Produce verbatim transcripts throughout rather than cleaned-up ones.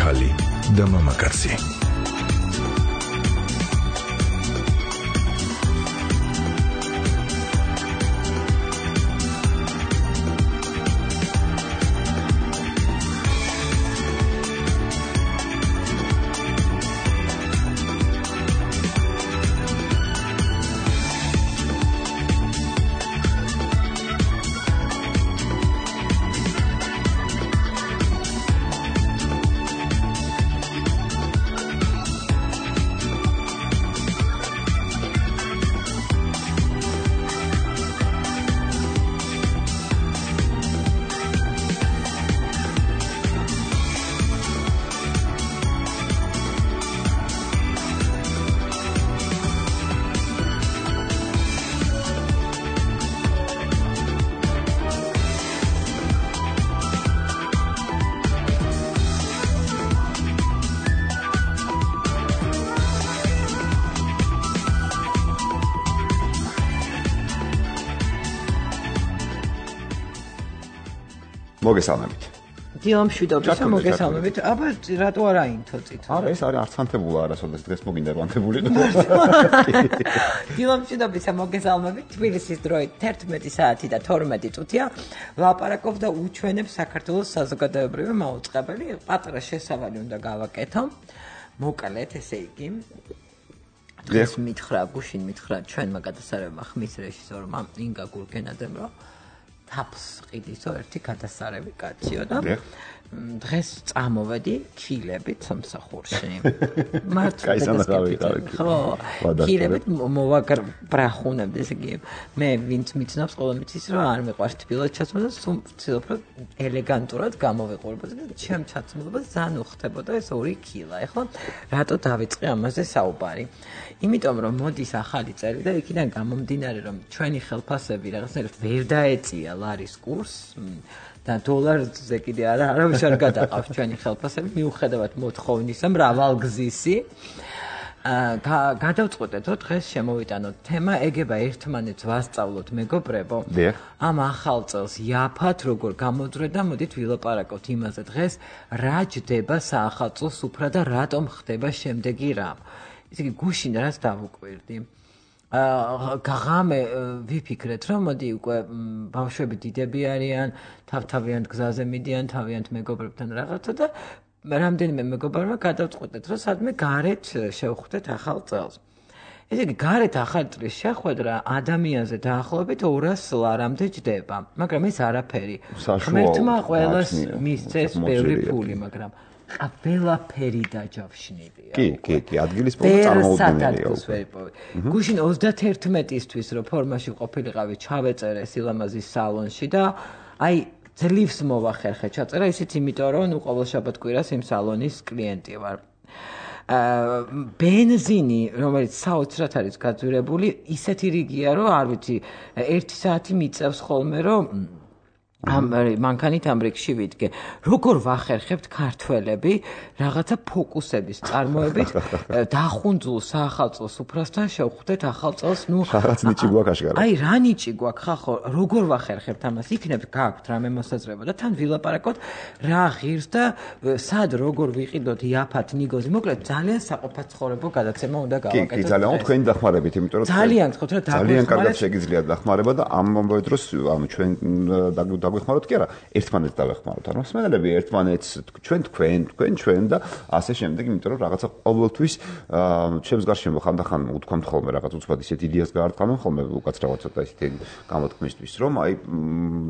ახალი და მამაკაცი. მოგესალმებით. დილამშვიდობისა, მოგესალმებით. აბა რატო არა ინთოცით? არა, ეს არის არცანთებულა არასოდეს დღეს მოგინდა რვანთებული. დილამშვიდობისა, მოგესალმებით. თბილისის დროით თერთმეტი საათი და თორმეტი წუთია. ლაპარაკობ და უჩვენებ საქართველოს საზოგადოებრივი მაუწყებელი. პატარა შესავალი უნდა გავაკეთო. მოკლედ, ესე იგი. დღეს მითხრა, გუშინ მითხრა ჩვენმა გადასარევმა ხმის რეჟისორმა ინგა გურგენაძემ, რომ თაფს ყიდისო ერთი გადასარევი კაციო და დღეს წამოვედი ქილებით სამსახურში. მართლა ხო, ქილებით მოვაგარ ბრახუნებდი, ესე იგი მე ვინც მიცნობს ყველა მიცის რომ არ მეყვარს თბილად ჩაცმო და ვცდილობ რომ ელეგანტურად გამოვიყურებოდი და ჩემ ჩაცმულობას ძალიან უხდებოდა ეს ორი ქილა. ეხლა რატო დავიწყე ამაზე საუბარი? იმიტომ რომ მოდის ახალი წელი და იქიდან გამომდინარე რომ ჩვენი ხელფასები რაღაცნაირად ვერ დაეწია ლარის კურსს და დოლარზე კიდე არა არავის არ გადაყავს ჩვენი ხელფასები მიუხედავად მოთხოვნისა მრავალგზისი. გადავწყვეტეთ რომ დღეს შემოვიტანოთ თემა ეგება ერთმანეთს ვასწავლოთ მეგობრებო. ამ ახალ წელს იაფად როგორ გამოძვრე და მოდით ვილაპარაკოთ იმაზე დღეს რა ჯდება საახალწლო სუფრა და რატომ ხდება შემდეგი რამ. ესე იგი გუშინ რაც დავუკვირდი. გაღამე ვიფიქრეთ რომ მოდი უკვე ბავშვები დიდები არიან, თავთავიანთ გზაზე მიდიან, თავიანთ მეგობრებთან რაღაცა და რამდენიმე მეგობრებმა გადავწყვეტეთ რომ სადმე გარეთ შევხვდეთ ახალ წელს. ესე იგი გარეთ ახალ წლის შეხვედრა ადამიანზე დაახლოებით ორას ლარამდე ჯდება, მაგრამ ეს არაფერი. ღმერთმა ყველას მისცეს ბევრი ფული, მაგრამ ყველაფერი დაჯავშნილია. კი, კი, კი, ადგილის პრობლემა წარმოუდგენელია. გუშინ ოცდაათერთმეტისთვის რო ფორმაში ყოფილიყავი, ჩავეწერე სილამაზის სალონში და აი ძლივს მოვახერხე ჩაწერა, ისიც იმიტომ რომ ნუ ყოველ შაბათ-კვირას იმ სალონის კლიენტი ვარ. ბენზინი, რომელიც საოცრად არის გაძვირებული, ისეთი რიგია, რომ არ ვიცი, ერთი საათი მიწევს ხოლმე, რომ ამ მანქანით ამ რიგში ვიდგე. როგორ ვახერხებთ ქართველები რაღაცა ფოკუსების წარმოებით დახუნძულ საახალწლო სუფრასთან შევხვდეთ ახალ წელს, ნუ რაღაც ნიჭი გვაქვს აშკარა. აი რა ნიჭი გვაქვს ხახო, როგორ ვახერხებთ ამას? იქნებ გაქვთ რამე მოსაზრება და თან ვილაპარაკოთ რა ღირს და სად როგორ ვიყიდოთ იაფად ნიგოზი. მოკლედ ძალიან საყოფაცხოვრებო გადაცემა უნდა გავაკეთოთ. კი, კი, ძალიან თქვენი დახმარებით, იმიტომ რომ ძალიან გთხოვთ რა დაგვეხმაროთ. ძალიან კარგად შეგიძლიათ დახმარება და ამ დროს ანუ ჩვენ დაგვეხმაროთ კი არა, ერთმანეთს დავეხმაროთ. ანუ მსმენელები ერთმანეთს ჩვენ თქვენ, თქვენ ჩვენ და ასე შემდეგ, იმიტომ რომ რაღაცა ყოველთვის ჩემს გარშემო ხანდახან უთქვამთ ხოლმე რაღაც უცბად ისეთ იდეას გაარტყამენ ხოლმე უკაცრავად ცოტა ისეთი გამოთქმისთვის, რომ აი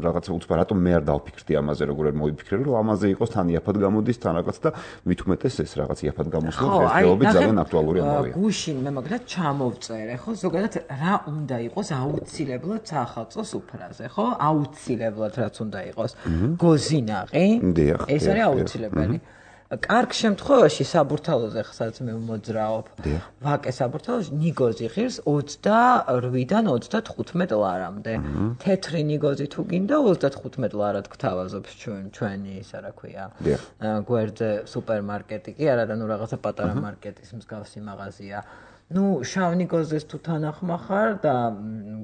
რაღაცა უცბად რატომ მე არ დავფიქრდი ამაზე, როგორ არ მოვიფიქრე, რომ ამაზე იყოს თან იაფად გამოდის თან რაღაც და მით უმეტეს ეს რაღაც იაფად გამოსვლა დღესდღეობით ძალიან აქტუალური ამბავია. გუშინ მე მაგალითად ჩამოვწერე, ხო, ზოგადად რა უნდა იყოს აუცილებლად საახალწლო სუფრაზე, ხო? აუცილებლად რაც უნდა იყოს გოზინაყი, ეს არის აუცილებელი. კარგ შემთხვევაში საბურთალოზე ხსაც მე მოძრაობ. ვაკე საბურთალოში ნიგოზი ღირს ოცდაორი-დან ოცდათხუთმეტ ლარამდე. თეთრი ნიგოზი თუ გინდა ოცდათხუთმეტ ლარად გთავაზობს ჩვენ ჩვენი ისა რა ქვია. გვერდზე სუპერმარკეტი კი არა და ნუ რაღაცა პატარა მარკეტის მსგავსი მაღაზია. ნუ შავნი გოზეს თუ თანახმახარ და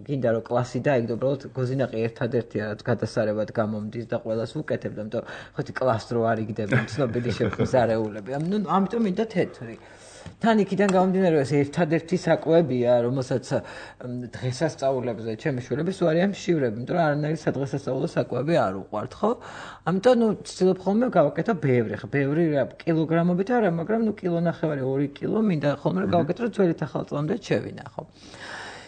გინდა რომ კლასი დაიგდო, უბრალოდ გოზინაყი ერთადერთია რაც გადასარევად გამომდის და ყველას უკეთებ და ამიტომ ხოთი კლასს რო არ იგდები ცნობილი შეფხიზარეულები. ნუ ამიტომ მინდა თეთრი. თან იქიდან გამომდინარე ეს ერთადერთი საკვებია, რომელსაც დღესასწაულებზე ჩემი შვილების უარია მშივრები, იმიტომ რომ არანაირი სადღესასწაულო საკვები არ უყვართ, ხო? ამიტომ ნუ ცდილობ ხოლმე გავაკეთო ბევრი, ხო, ბევრი კილოგრამობით არა, მაგრამ ნუ კილო ნახევარი, ორი კილო მინდა ხოლმე გავაკეთო, რომ ძველი ახალწლამდე შევინახო.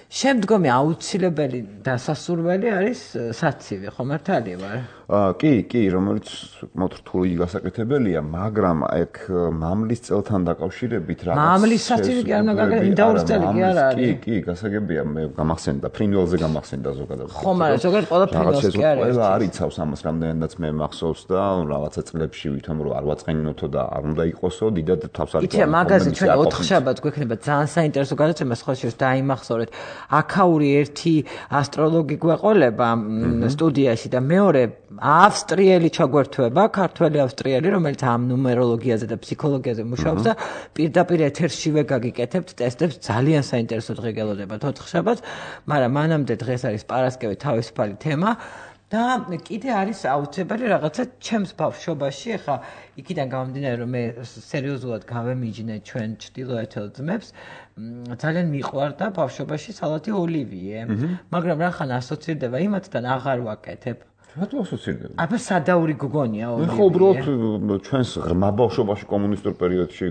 შემდგომი აუცილებელი დასასურველი არის საცივი, ხო მართალია ვარ? კი, კი, რომელიც მოთრთული გასაკეთებელია, მაგრამ ეგ მამლის წელთან დაკავშირებით რაღაც მამლის საცივი კი არ უნდა გაკეთო, ინდაურის კი არ არის. კი, კი, გასაგებია, მე გამახსენდა, ფრინველზე გამახსენდა ზოგადად. ხო, მაგრამ ზოგადად ყველა ფრინველს კი არის. ყველა არ იცავს ამას, რამდენადაც მე მახსოვს და რაღაცა წლებში ვითომ რომ არ ვაწყენინოთო და არ უნდა იყოსო, დიდად თავს არ იცი, მაგაზე ჩვენ ოთხშაბათს გვექნება ძალიან საინტერესო გადაცემა, სხვა შეს დაიმახსოვრეთ. აქაური ერთი ასტროლოგი გვეყოლება სტუდიაში და მეორე ავსტრიელი ჩაგვერთვება, ქართველი ავსტრიელი, რომელიც ამ ნუმეროლოგიაზე და ფსიქოლოგიაზე მუშაობს და პირდაპირ ეთერშივე გაგიკეთებთ ტესტებს, ძალიან საინტერესო დღე გელოდებათ ოთხშაბათს, მაგრამ მანამდე დღეს არის პარასკევი თავისუფალი თემა და კიდე არის აუცილებელი რაღაცა ჩემს ბავშვობაში, ახლა იქიდან გამომდინარე რომ მე სერიოზულად გავემიჯნე ჩვენ ჩtildeოეთელ ძმებს, ძალიან მიყვარდა ბავშვობაში სალათი ოლივიე, მაგრამ რახან ასოცირდება იმათთან აღარ ვაკეთებ. რატო ასოცირდება? აბა სადაური გოგონია ოლივიე. მე ხო უბრალოდ ჩვენს ღრმა ბავშვობაში კომუნისტურ პერიოდში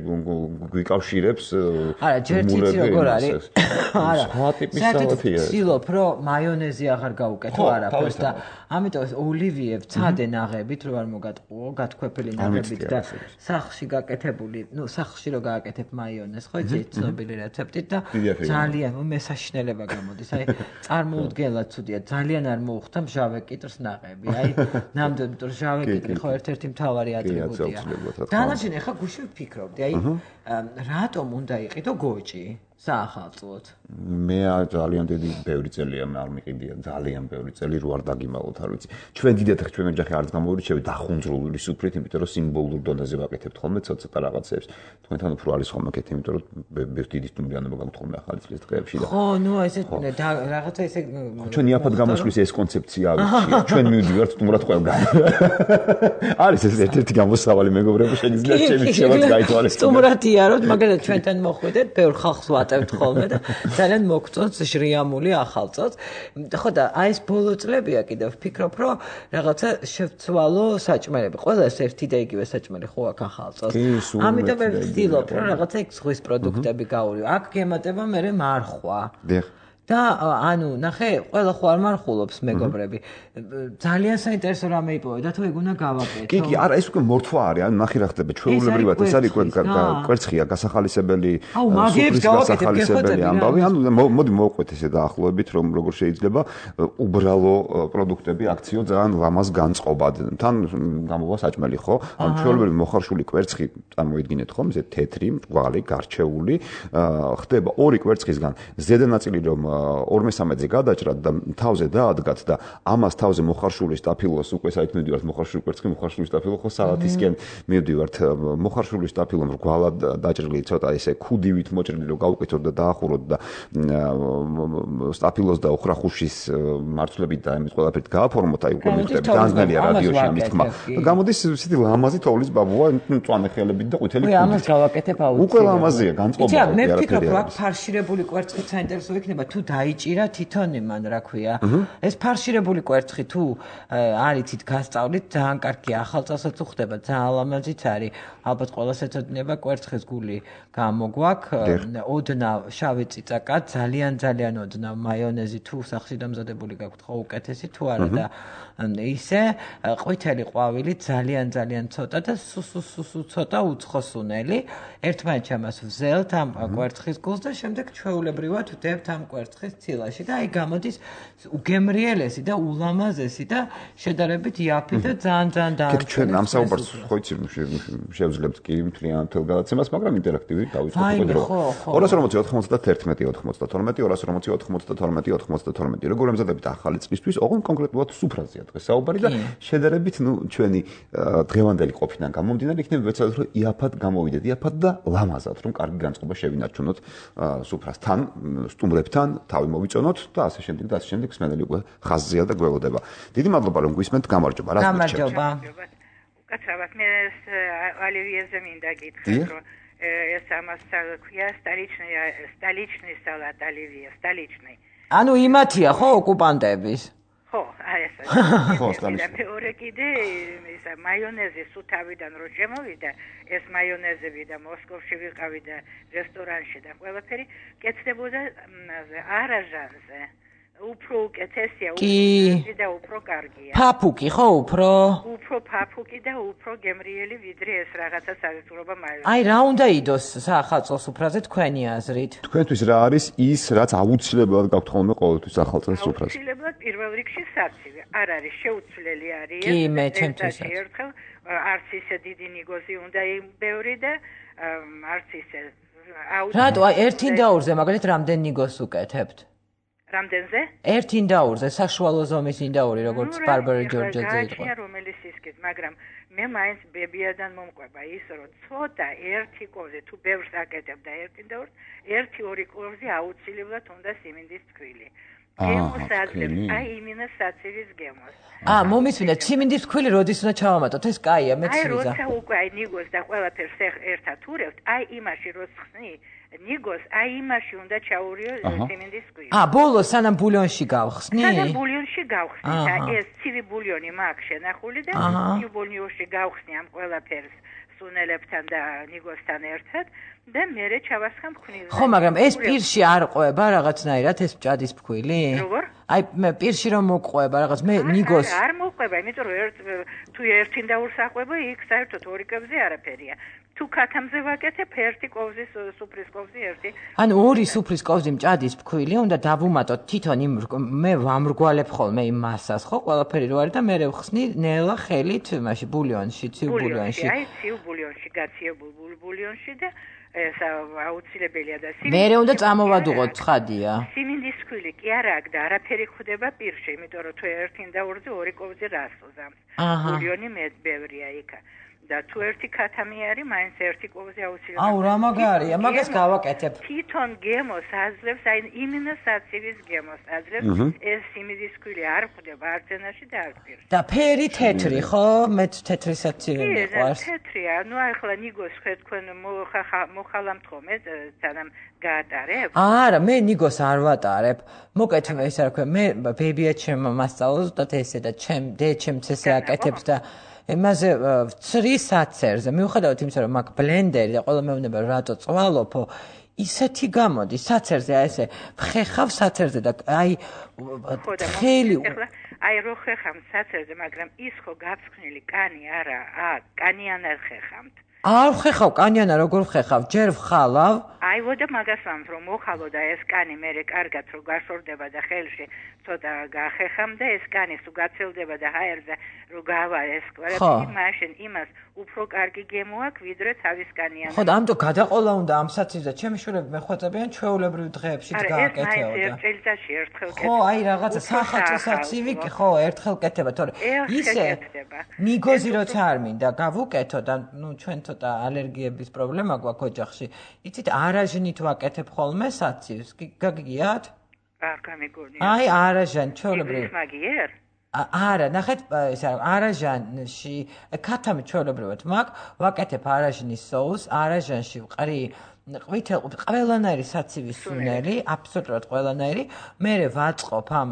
გვიკავშირებს. არა, ჯერ იცი როგორ არის? არა. სხვა ტიპის სალათია. ცდილობ რომ მაიონეზი აღარ გავუკეთო არაფერს და ამიტომ ოლივიე ვცადე ნაღებით რო არ მოგატყუო, გათქვეფილი ნაღებით და სახლში გაკეთებული, ნუ სახლში რო გააკეთებ მაიონეზს, ხო იცი ცნობილი რეცეპტით და ძალიან მესაშნელება გამოდის. აი წარმოუდგენლად ცუდია, ძალიან არ მოუხდა მჟავე კიტრს ნაღები. აი, ნამდვილად, იმიტომ რომ ჟავე კიტრი ხო ერთ-ერთი მთავარი ატრიბუტია. დანარჩენი ახლა გუშინ ვფიქრობდი, აი, რატომ უნდა იყიდო გოჭი საახალწლოდ? მე ძალიან დიდი ბევრი წელია არ მიყიდია, ძალიან ბევრი წელი რო არ დაგიმალოთ, არ ვიცი. ჩვენ დიდად ჩვენ ოჯახი არც გამოვირჩევი დახუნძრული სუფრით, იმიტომ რომ სიმბოლურ დონეზე ვაკეთებთ ხოლმე ცოტა რაღაცებს. თქვენთან უფრო არის ხოლმე კეთილი, იმიტომ რომ დიდი სტუმრიანობა გაქვთ ხოლმე ახალი წლის დღეებში და ხო, ნუ ესე რაღაცა ესე ჩვენ იაფად გამოშლის ეს კონცეფცია ავიჩია. ჩვენ მივდივართ სტუმრად ყველგან. არის ეს ერთ-ერთი გამოსავალი მეგობრებო, შეგიძლიათ ჩემი შევაც გაითვალისწინოთ. სტუმრათიაროთ, მაგალითად ჩვენთან მოხვედეთ, ბევრ ხალხს ვატევთ ხოლმე და ძალიან მოგწონს ჟრიამული ახალწლს. ხო და აი ეს ბოლო წლებია კიდევ ვფიქრობ, რომ რაღაცა შევცვალო საჭმელები. ყველას ერთი და იგივე საჭმელი ხო აქ ახალწლს. ამიტომ მე ვცდილობ, რომ რაღაცა იქ ზღვის პროდუქტები გავურივ. აქ გემატება მე მარხვა. დიახ. და ანუ ნახე, ყველა ხო არ მარხულობს მეგობრები. ძალიან საინტერესო რამე იპოვე და თუ ეგ უნდა გავაკეთო. კი, კი, არა, ეს უკვე მორთვა არის, ანუ ნახე რა ხდება, ჩვეულებრივად ეს არის კვერცხია, გასახალისებელი, სუფრის გასახალისებელი ამბავი, ანუ მოდი მოვყვეთ ესე დაახლოებით, რომ როგორ შეიძლება უბრალო პროდუქტები აქციო ძალიან ლამაზ განწყობად. თან გამოვა საჭმელი, ხო? ანუ ჩვეულებრივი მოხარშული კვერცხი, წარმოიდგინეთ ხომ, ესე თეთრი, მრგვალი, გარჩეული, ხდება ორი კვერცხისგან ზედა ნაწილი რომ ორმესამედზე გადაჭრათ და თავზე დაადგათ და ამას თავზე მოხარშული სტაფილოს უკვე საით მივდივართ მოხარშული კვერცხი მოხარშული სტაფილო ხო სალათისკენ მივდივართ მოხარშული სტაფილო მრგვალად დაჭრილი ცოტა ესე ქუდივით მოჭრილი რომ გავუკეთოთ და დაახუროთ და სტაფილოს და უხრახუშის მარცვლებით და ამის ყველაფერით გააფორმოთ აი უკვე მივხვდები განზნელია რადიოში ამის თქმა გამოდის ისეთი ლამაზი თოვლის ბაბუა მწვანე ხელებით და ყვითელი ქუდით ამას გავაკეთებ აუცილებლად უკვე ლამაზია განწყობა იცი მე ვფიქრობ რომ აქ ფარშირებული კვერცხი საინტერესო იქნება თუ დაიჭირა თვითონ იმან რა ქვია ეს ფარშირებული კვერცხი თუ არიცით გასწავლით ძალიან კარგია ახალწლსაც უხდება ძალიან ლამაზიც არის ალბათ ყველას ეცოდინება კვერცხის გული გამოგვაქვს ოდნავ შავი წიწაკა ძალიან ძალიან ოდნავ მაიონეზი თუ სახში დამზადებული გაქვთ ხო უკეთესი თუ არა და ისე ყვითელი ყვავილი ძალიან ძალიან ცოტა და სუსუსუსუ ცოტა უცხოსუნელი ერთმანეთს ამას ვზელთ ამ კვერცხის გულს და შემდეგ ჩვეულებრივად ვდებთ ამ კვერცხს ვერცხლის ცილაში და აი გამოდის უგემრიელესი და ულამაზესი და შედარებით იაფი და ძალიან ძალიან და კიდე ჩვენ ამ საუბარს ხო იცი შევძლებთ კი მთლიან თელ გადაცემას, მაგრამ ინტერაქტივი დავიწყოთ უკვე დრო. ორას ორმოცი ოცდაათი ოცდათორმეტი ორას ორმოცი ოცდათორმეტი ოცდათორმეტი როგორ ემზადებით ახალი წლისთვის, ოღონდ კონკრეტულად სუფრაზეა დღეს საუბარი და შედარებით ნუ ჩვენი დღევანდელი ყოფიდან გამომდინარე იქნება ვეცადოთ რომ იაფად გამოვიდეთ, იაფად და ლამაზად რომ კარგი განწყობა შევინარჩუნოთ სუფრასთან, სტუმრებთან, თავი მოვიწონოთ და ასე შემდეგ და ასე შემდეგ სმენელი უკვე ხაზზეა და გველოდება. დიდი მადლობა რომ გვისმენთ, გამარჯობა. რა გამარჯობა. უკაცრავად მე ალივიეზე მინდა გითხრათ რომ ეს ამას ქვია სტალიჩნი სტალიჩნი სალატ ალივია სტალიჩნი. ანუ იმათია ხო ოკუპანტების? ხო, აი ეს. ხო, სტალიჩნი. მეორე კიდე ისა მაიონეზი სუთავიდან რო შემოვიდა, ეს მაიონეზები და მოსკოვში ვიყავი და რესტორანში და ყველაფერი კეთდებოდა არაჟანზე. უფრო უკეთესია, უფრო და უფრო კარგია. ფაფუკი ხო უფრო? უფრო ფაფუკი და უფრო გემრიელი ვიდრე ეს რაღაცა საგრძნობა მაიონეზი. აი რა უნდა იდოს სახალწო სუფრაზე თქვენი აზრით? თქვენთვის რა არის ის, რაც აუცილებლად გაქვთ ხოლმე ყოველთვის ახალწლის სუფრაზე? აუცილებლად პირველ რიგში საცივი. არ არის შეუცვლელი არის. კი, მე ჩემთვისაც. ერთხელ არც ისე დიდი ნიგოზი უნდა იმბევრი და არც ისე აუცილებლად. რატო აი ერთ ინდაურზე მაგალითად რამდენ ნიგოს უკეთებთ? რამდენზე? ერთ ინდაურზე, საშუალო ზომის ინდაური, როგორც ბარბარა ჯორჯაძე იყო. გააჩნია რომელიც ისკეთ, მაგრამ მე მაინც ბებიადან მომყვება ის, რომ ცოტა ერთი კოვზე თუ ბევრს აკეთებ და ერთ ინდაურს, ერთი ორი კოვზე აუცილებლად უნდა სიმინდის თქვილი. გემოს აძლევს, აი იმინა საცივის გემოს. აა, მომისმინეთ, სიმინდის თქვილი როდის უნდა ჩავამატოთ? ეს კაია, მეც ვიზა. აი, როცა უკვე აი ნიგოს და ყველაფერს ერთად ურევთ, აი იმაში როც ხსნი ნიგოს, აი იმაში უნდა ჩაურიო სიმინდის თქვილი. აა, ბოლოს სანამ ბულიონში გავხსნი? სანამ ბულიონში გავხსნი და ეს ცივი ბულიონი მაქვს შენახული და ცივ ბულიონში გავხსნი ამ ყველაფერს სუნელებთან და ნიგოსთან ერთად და მერე ჩავასხამ ხვნილზე. ხო, მაგრამ ეს პირში არ ყვება რაღაცნაირად ეს მჭადის ფქვილი? როგორ? აი მე პირში რომ მოყვება რაღაც მე ნიგოს არ მოყვება, იმიტომ რომ ერთ თუ ერთი ინდაურს აყვება, იქ საერთოდ ორი კევზე არაფერია. თუ ქათამზე ვაკეთებ ერთი კოვზის სუფრის კოვზი ერთი. ანუ ორი სუფრის კოვზი მჭადის ფქვილი უნდა დავუმატოთ თვითონ იმ მე ვამრგვალებ ხოლმე იმ მასას, ხო, ყველაფერი რო არის და მე ვხსნი ნელა ხელით მაშინ ბულიონში, ცივ ბულიონში. აი ცივ ბულიონში, გაციებულ ბულიონში და ეს აუცილებელია და სიმინდი. მერე უნდა წამოვადუღოთ, ცხადია. სიმინდის თქვილი კი არა აქ და არაფერი ხდება პირში, იმიტომ რომ თუ ერთი ინდაურზე ორი კოვზი რას უზამს. ბულიონი მე ბევრია იქა. და თუ ერთი ქათამი არის, მაინც ერთი კოვზე აუცილებლად. აუ, რა მაგარია, მაგას გავაკეთებ. თვითონ გემოს აძლევს, აი იმინოსაცივის გემოს აძლევს, ეს სიმინდის თქვილი არ ხდება არც ენაში და არც პირში. და ფერი თეთრი, ხო? მეც თეთრი საცივი მიყვარს. კი, თეთრია. ნუ ახლა ნიგოს ხე თქვენ მოხალამთ ხოლმე, სანამ გაატარებ? არა, მე ნიგოს არ ვატარებ. მოკეთ ეს რა ქვია, მე ბებია ჩემმა მასწავლოს და ესე და ჩემ დე ჩემც ესე აკეთებს და იმაზე ვცრი საცერზე. მიუხედავად იმისა, რომ მაგ ბლენდერი და ყველა მეუბნება რატო წვალობო, ისეთი გამოდის საცერზე, აი ესე ხეხავ საცერზე და აი ხელი აი რო ხეხავ საცერზე, მაგრამ ის ხო გაფრთხნილი კანი არა, ა კანიანად ხეხავთ. არ ხეხავ კანიანა, როგორ ხეხავ? ჯერ ვხალავ. აი ვოდა მაგას ვამბობ, რომ მოხალო და ეს კანი მერე კარგად რო გაშორდება და ხელში ცოტა გახეხამ და ეს კანი სულ გაცელდება და ჰაერზე რო გავა ეს ყველაფერი, მაშინ იმას უფრო კარგი გემო აქვს, ვიდრე თავის კანიანა. ხო, და ამიტომ გადაყოლა უნდა ამ საცივზე. ჩემი შვილები მეხვეწებიან ჩვეულებრივ დღეებში გააკეთეო და. არა, ეს ერთ წელიწადში ერთხელ კეთდება. ხო, აი რაღაცა სახალხო საცივი, ხო, ერთხელ კეთდება, თორე ისე ნიგოზი როცა არ მინდა გავუკეთო და ნუ ჩვენ ცოტა ალერგიების პრობლემა გვაქვს ოჯახში. იცით, არაჟნით ვაკეთებ ხოლმე საცივს. გაგიგიათ? არ გამიგონია. აი, არაჟან, ჩვეულებრივ. მაგიერ? არა, ნახეთ, ესე არაჟანში ქათამი ჩვეულებრივად მაქვს, ვაკეთებ არაჟნის соуს, არაჟანში ვყრი ყვითელ ყველანაირი საცივის სუნელი, აბსოლუტურად ყველანაირი, მერე ვაწყობ ამ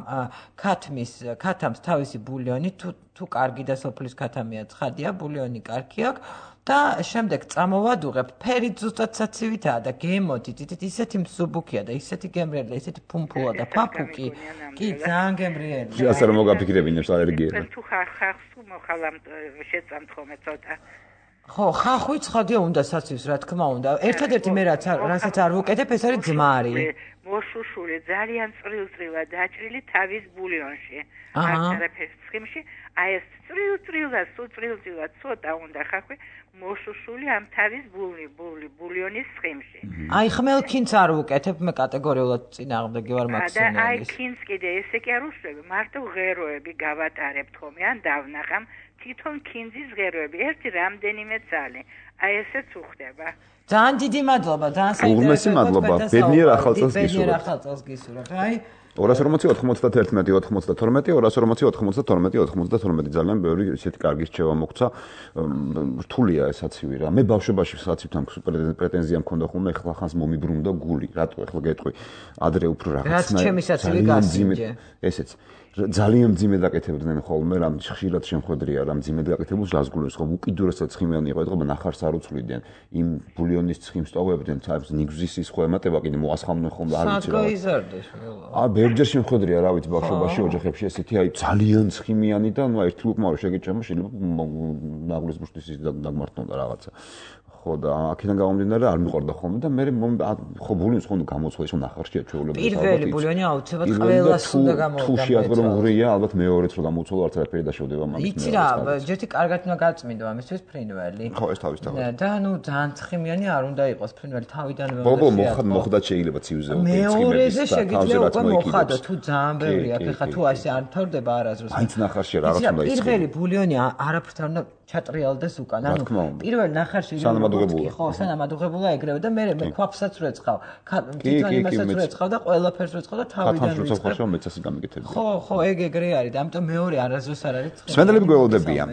ქათმის, ქათამს თავისი ბულიონი, თუ თუ კარგი და სოფლის ქათამია, ცხადია, ბულიონი კარგი აქვს. და შემდეგ წამოვადუღებ, ფერი ზუსტად საცივითაა და გემოდით, ისეთი მსუბუქია და ისეთი გემრიელი, ისეთი ფუმფულა და ფაფუკი. კი, ძალიან გემრიელი. ასე რომ მოგაფიქრებინებს ალერგიები. თუ ხახს მოხალამ შეწამთ ხოლმე ცოტა. ხო, ხახვი ცხადია უნდა საცივს, რა თქმა უნდა. ერთადერთი მე რაც რასაც არ ვუკეთებ, ეს არის ძმარი. მოშუშული ძალიან წრილ-წრილად დაჭრილი თავის ბულიონში. არაფერს ცხიმში, აი ეს წრილ-წრილად, სულ წრილ-წრილად ცოტა უნდა ხახვი მოშუშული ამ თავის ბული, ბული, ბულიონის ცხიმში. აი ხმელქინც არ ვუკეთებ, მე კატეგორიულად წინააღმდეგი ვარ მაქსიმალისტ. და აი ქინც კიდე ესე კი არ უშევი, მარტო ღეროები გავატარებთ ხოლმე, ან დავნახამ თვითონ ქინძის ღეროები, ერთი რამდენიმე წალი. აი ესეც უხდება. ძალიან დიდი მადლობა, ძალიან საინტერესო. მადლობა. ბედნიერ ახალ წელს გისურვებთ. ბედნიერ ახალ წელს გისურვებთ. აი ორას ორმოცი ოთხმოცდაერთმეტი ოთხმოცდათორმეტი ორას ორმოცი ოთხმოცდათორმეტი ოთხმოცდათორმეტი ძალიან ბევრი ისეთი კარგი რჩევა მოგცა. რთულია ეს საცივი რა. მე ბავშვობაში საცივთან პრეტენზია მქონდა ხოლმე, ეხლა ხანს მომიბრუნდა გული. რატო ეხლა გეტყვი? ადრე უფრო რაღაცნაირად. რაც ჩემი საცივი გასიმჯე. ესეც ძალიან მძიმე დაკეთებდნენ ხოლმე, რამ ხშირად შემხვედრია, რამ მძიმე დაკეთებულს გასგულებს ხოლმე, უკიდურესად ცხიმიანი იყო, ეთქობა ნახარს არ უცვლიდნენ. იმ ბულიონის ცხიმს ტოვებდნენ, თავს ნიგზის ის ხო ემატება, კიდე მოასხამდნენ ხოლმე, არ ვიცი რა. გაიზარდეს მელა. აა, ბევრჯერ შემხვედრია, რა ვიცი, ბავშვობაში ოჯახებში ესეთი, აი, ძალიან ცხიმიანი და ნუ ერთი უკმარო შეგეჭამა, შეიძლება ნაღლის ბუშტის ის დაგმართნოდა რაღაცა. ხო და აქედან გამომდინარე არ მიყვარდა ხოლმე და მე ხო ბულიონს ხო გამოცვლა ისო ნახარშია ჩვეულებრივ. პირველი ბულიონი აუცილებლად ყველას უნდა გამოვიდა. თუ შეადგრო მღრია, ალბათ მეორეც რო გამოცვალო არც არაფერი დაშოვდება მაგის. იცი რა, ჯერთი კარგად უნდა გაწმინდო ამისთვის ფრინველი. ხო, ეს თავის თავად. და ნუ ძალიან ცხიმიანი არ უნდა იყოს ფრინველი თავიდანვე. ბობო მოხდა შეიძლება ციუზე უკვე მეორეზე შეგიძლია უკვე მოხადო თუ ძალიან ბევრი აქ ხა თუ ასე არ თავდება არასდროს. აიც ნახარშია რაღაც უნდა ის. პირველი ბულიონი არაფრთან უნდა ჩატრიალდეს უკან. ანუ პირველ ნახარში სანამადუღებულა. ხო, სანამადუღებულა ეგრევე და მე მე ქვაფსაც რეცხავ. თვითონ იმასაც რეცხავ და ყველაფერს რეცხავ და თავიდან რეცხავ. ხო, მეცასი გამიგეთები. ხო, ხო, ეგ ეგრე არის და ამიტომ მეორე არასდროს არ არის. სვენელები გველოდებიან.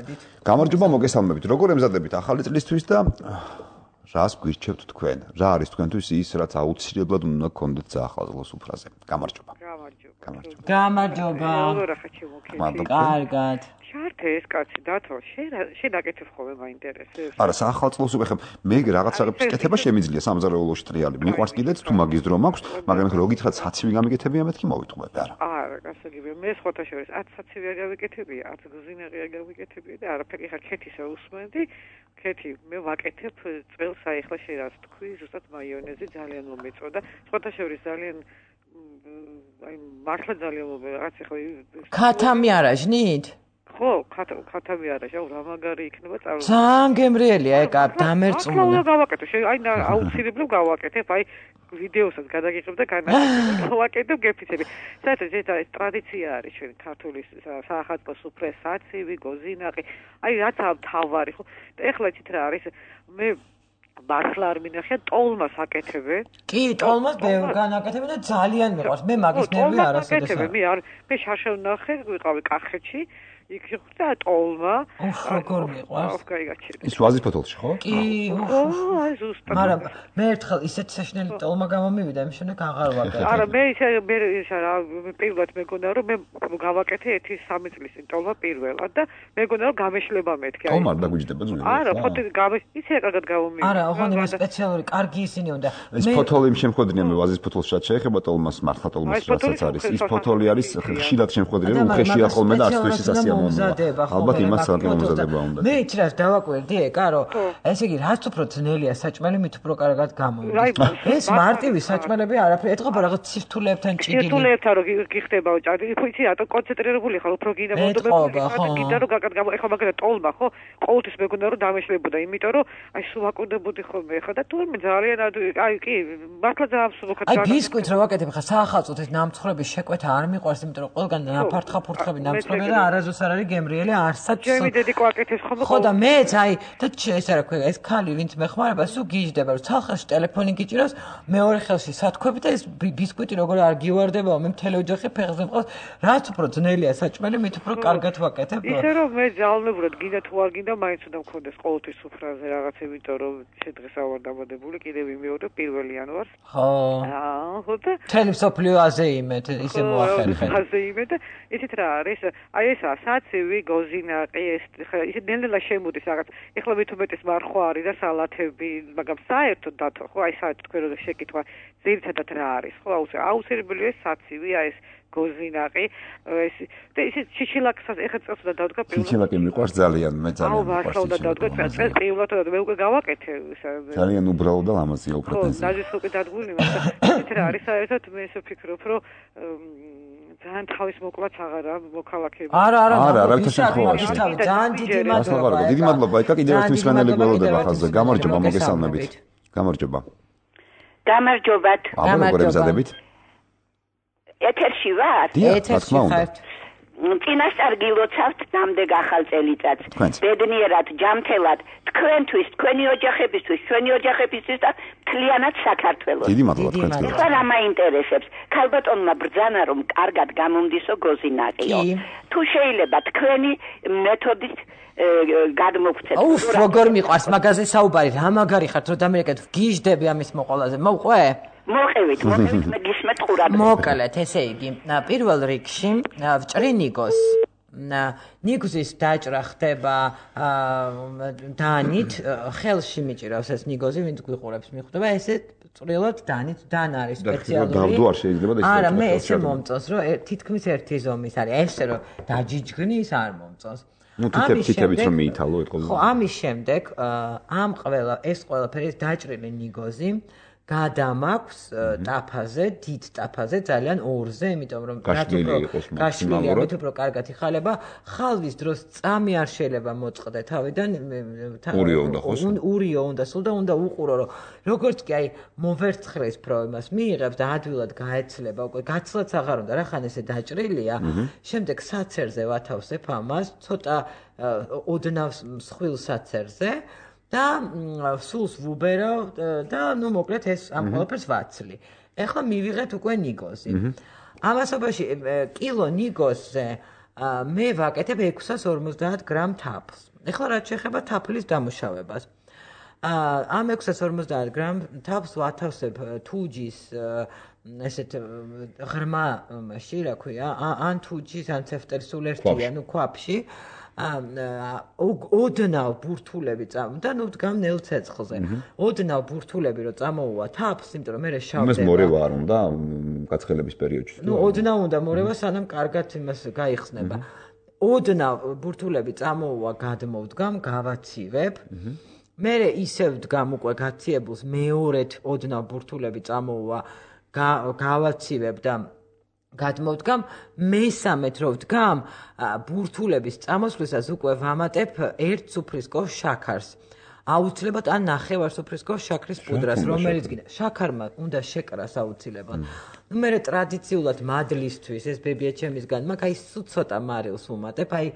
გამარჯობა, მოგესალმებით. როგორ ემზადებით ახალი წლისთვის და რას გვირჩევთ თქვენ? რა არის თქვენთვის ის, რაც აუცილებლად უნდა გქონდეთ საახალწლოს უფრაზე? გამარჯობა. გამარჯობა. გამარჯობა. მადლობა. კარგად. შარტე ეს კაცი დათო, შენ აკეთებ ხოლმე მაინტერესებს. არა, საახალწლოს უკვე ხომ მე რაღაცების კეთება შემიძლია სამზარეულოში ტრიალი. მიყვარს კიდეც თუ მაგის დრო მაქვს, მაგრამ ხო გითხრათ საცივი გამიგეთებია მეთქი მოვიტყვები არა. არა, გასაგებია. მე სხვათა შორის არც საცივი არ გავიკეთებია, არც გზინაღი არ გავიკეთებია და არაფერი ხარ ქეთისა უსმენდი. ქეთი, მე ვაკეთებ წელს აი ახლა შენ რას თქვი, ზუსტად მაიონეზი ძალიან მომეწოდა. სხვათა შორის ძალიან აი მართლა ძალიან მომეწოდა. რაც ახლა ქათამი არაჟნით? ხო, ქათამი არაჟა, რა მაგარი იქნება წარმო. ძალიან გემრიელია ეკა დამერწმუნდა. ახლა გავაკეთე, აი აუცილებლად გავაკეთებ, აი ვიდეოსაც გადაგიღებ და განაკეთებ. გავაკეთებ გეფიცები. საერთოდ ეს ტრადიცია არის ჩვენ ქართული საახალწლოს უფრეს საცივი, გოზინაყი. აი რაც თავარი ხო. და ეხლა იცით რა არის? მე მართლა არ მინახია ტოლმას აკეთებენ. კი, ტოლმას ბევრ განაკეთებენ და ძალიან მიყვარს. მე მაგის ნერვი არასოდეს არ. მე არ მე შარშავ ნახე, ვიყავი კახეთში. იქ ხდა ტოლმა. ოხ, როგორ მიყვარს? ოხ, გაიგაჩერე. ის ვაზის ფოთოლში ხო? კი, ო, აი ზუსტად. მაგრამ მე ერთხელ ისეთი საშინელი ტოლმა გამომივიდა, იმის შემდეგ აღარ ვაკეთე. არა, მე ისე მე ისა რა პირველად მეგონა რომ მე გავაკეთე ერთი სამი წლის წინ ტოლმა პირველად და მეგონა რომ გამეშლება მეთქი. ტოლმა დაგვიჯდება ძველი. არა, ფოთი გამე ისე კარგად გამომივიდა. არა, ოღონდ იმ სპეციალური კარგი ისინი უნდა. ეს ფოთოლი შემხვედრია მე ვაზის ფოთოლს შეეხება ტოლმას, მართლა ტოლმას რასაც არის. ის ფოთოლი არის ხშირად შემხვედრია, უხეშია ხოლმე და არც თუ ისე სასიამოვნოა. ალბათ იმას საკმაოდ მომზადება უნდა. მე იცი რა დავაკვირდი ეკა რომ ესე იგი რაც უფრო ძნელია საჭმელი მით უფრო კარგად გამომდის. ეს მარტივი საჭმელები არაფერი ეთქობა რაღაც ცირთულებთან ჭიგილი. ცირთულებთან რო გიხდება ჭადი, ხო იცი რატო კონცენტრირებული ხარ უფრო გინდა მოდობები. გინდა რომ გაკად გამო ეხლა მაგალითად ტოლმა ხო ყოველთვის მეგონა რომ დამეშლებოდა, იმიტომ რომ აი სულ ვაკუნდებოდი ხოლმე ეხლა და თურმე ძალიან აი კი მართლა ძალიან სულოქად აი ბისკვიტს რო ვაკეთებ ხა საახალწლოდ ეს ნამცხრების შეკვეთა არ მიყვარს, იმიტომ რომ ყველგან ნაფართხა ფურთხები ნამცხრები და არასდროს არ არის გემრიელი არსაც. ჩემი დედი კვაკეთებს ხოლმე. ხო და მეც აი და ეს რა ქვია ეს ქალი ვინც მეხმარება სულ გიждდება რომ ცალხელში ტელეფონი გიჭიროს მეორე ხელში სათქვები და ეს ბისკვიტი როგორ არ გივარდებაო მე მთელი ოჯახი ფეხზე მყავს რაც უფრო ძნელია საჭმელი მით უფრო კარგად ვაკეთებ. ისე რომ მე ძალოვნებურად გინდა თუ არ გინდა მაინც უნდა მქონდეს ყოველთვის სუფრაზე რაღაცა იმიტომ რომ შედღეს ავარ დამადებული კიდევ იმეორე პირველ იანვარს. ხო. აა ხო და მთელი მსოფლიო აზე იმეთ ისე მოახერხეთ. აზე იმეთ ისეთ რა არის აი ესა საცივი გოზინაყი ეს ისე ნელ-ნელა შემოდის რაღაც ეხლა მით უმეტეს მარხვა არის და სალათები მაგრამ საერთოდ დათო ხო აი საერთოდ თქვენ რო შეკითხვა ძირითადად რა არის ხო აუცილებლია საცივი აი ეს გოზინაყი ეს და ისე ჩიჩილაკსაც ეხა წელს და დავდგა პირველად ჩიჩილაკი მიყვარს ძალიან მე ძალიან აუ ვარსავა და დავდგა წელს პირველად და მე უკვე გავაკეთე ძალიან უბრალო და ლამაზია უფრო თენს ხო ნაჟის უკვე დადგული მაგრამ ისეთ რა არის საერთოდ მე ისე ვფიქრობ რომ ძალიან თავის მოკლაც აღარა მოქალაქეები არა არა არა არავითარ შემთხვევაში ძალიან დიდი მადლობა დიდი მადლობა ეკა კიდევ ერთ მსმენელი გველოდება ხაზზე გამარჯობა მოგესალმებით გამარჯობა გამარჯობათ გამარჯობა გზადებით ეთერში ვარ ეთერში ხართ წინასწარ გილოცავთ ნამდვილ ახალ წელიწადს ბედნიერად ჯამთელად თქვენთვის თქვენი ოჯახებისთვის ჩვენი ოჯახებისთვის და მთლიანად საქართველოს დიდი მადლობა თქვენთვის ხა რა მაინტერესებს ქალბატონმა ბრძანა რომ კარგად გამომდისო გოზინაყიო თუ შეიძლება თქვენი მეთოდით გადმოგცეთ აუф როგორ მიყვარს მაგაზე საუბარი რა მაგარი ხართ რომ დამერეკეთ გიჟდები ამის მოყოლაზე მოყვე მოყევით მოყევით მე გისმენთ ყურადღება მოკლედ ესე იგი პირველ რიგში ვჭრინიგოს ნიგოზის დაჭრა ხდება დანით ხელში მიჭირავს ეს ნიგოზი ვინც გვიყურებს მიხვდება ესე წვრილად დანით დან არის სპეციალური დავდო არ შეიძლება და ის არა მე ესე მომწონს რომ თითქმის ერთი ზომის არის ესე რომ დაჯიჯგნის არ მომწონს ну თითებით რომ მიითალო ეთქო ხო ამის შემდეგ ამ ყველა ეს ყველაფერი დაჭრილი ნიგოზი გადამაქვს ტაფაზე, დიდ ტაფაზე, ძალიან ორზე, იმიტომ რომ გაშლილი ამით უფრო კარგად იხალება, ხალვის დროს წამი არ შეიძლება მოწყდე თავიდან, ურიო უნდა ხოს. ურიო უნდა სულ და უნდა უყურო, რომ როგორც კი აი მოვერცხლის პრობლემას მიიღებს და ადვილად გაეცლება, უკვე გაცლაც აღარ უნდა, რახან ესე დაჭრილია, შემდეგ საცერზე ვათავსებ ამას, ცოტა ოდნავს მსხვილ საცერზე. და სულს ვუბერავ და ნუ მოკლედ ეს ამ ყველაფერს ვაცლი. ეხლა მივიღეთ უკვე ნიგოზი. ამასობაში კილო ნიგოზზე მე ვაკეთებ ექვსას ორმოცდაათ გრამ თაფლს. ეხლა რაც შეეხება თაფლის დამუშავებას. ამ ექვსას ორმოცდაათ გრამ თაფლს ვათავსებ თუჯის ესეთ ღრმა მასში, რა ქვია, ან თუჯის, ან ცეფტელის სულ ერთია, ნუ ქვაფში. ოდნავ ბურთულები წამ და ნუ დგამ ნელ ცეცხლზე. ოდნავ ბურთულები რო წამოუვა თაფლს, იმიტომ რომ მე შავდება. იმას მორევა არ უნდა გაცხელების პერიოდში. ნუ ოდნავ უნდა მორევა, სანამ კარგად იმას გაიხსნება. ოდნავ ბურთულები წამოუვა, გადმოვდგამ, გავაცივებ. მე ისევ დგამ უკვე გაციებულს მეორედ ოდნავ ბურთულები წამოუვა, გავაცივებ და გადმოვდგამ მესამედ რო ვდგამ ბურთულების წამოსვლისას უკვე ვამატებ ერთ სუფრისკოვის შაქარს აუცილებლად ან ნახევარ სუფრისკოვის შაქრის პუდრას რომელიც გინდა შაქარმა უნდა შეკრას აუცილებლად ნუ მე ტრადიციულად მადლისთვის ეს ბებია ჩემისგან მაგ აი ცოტა მარილს ვუმატებ აი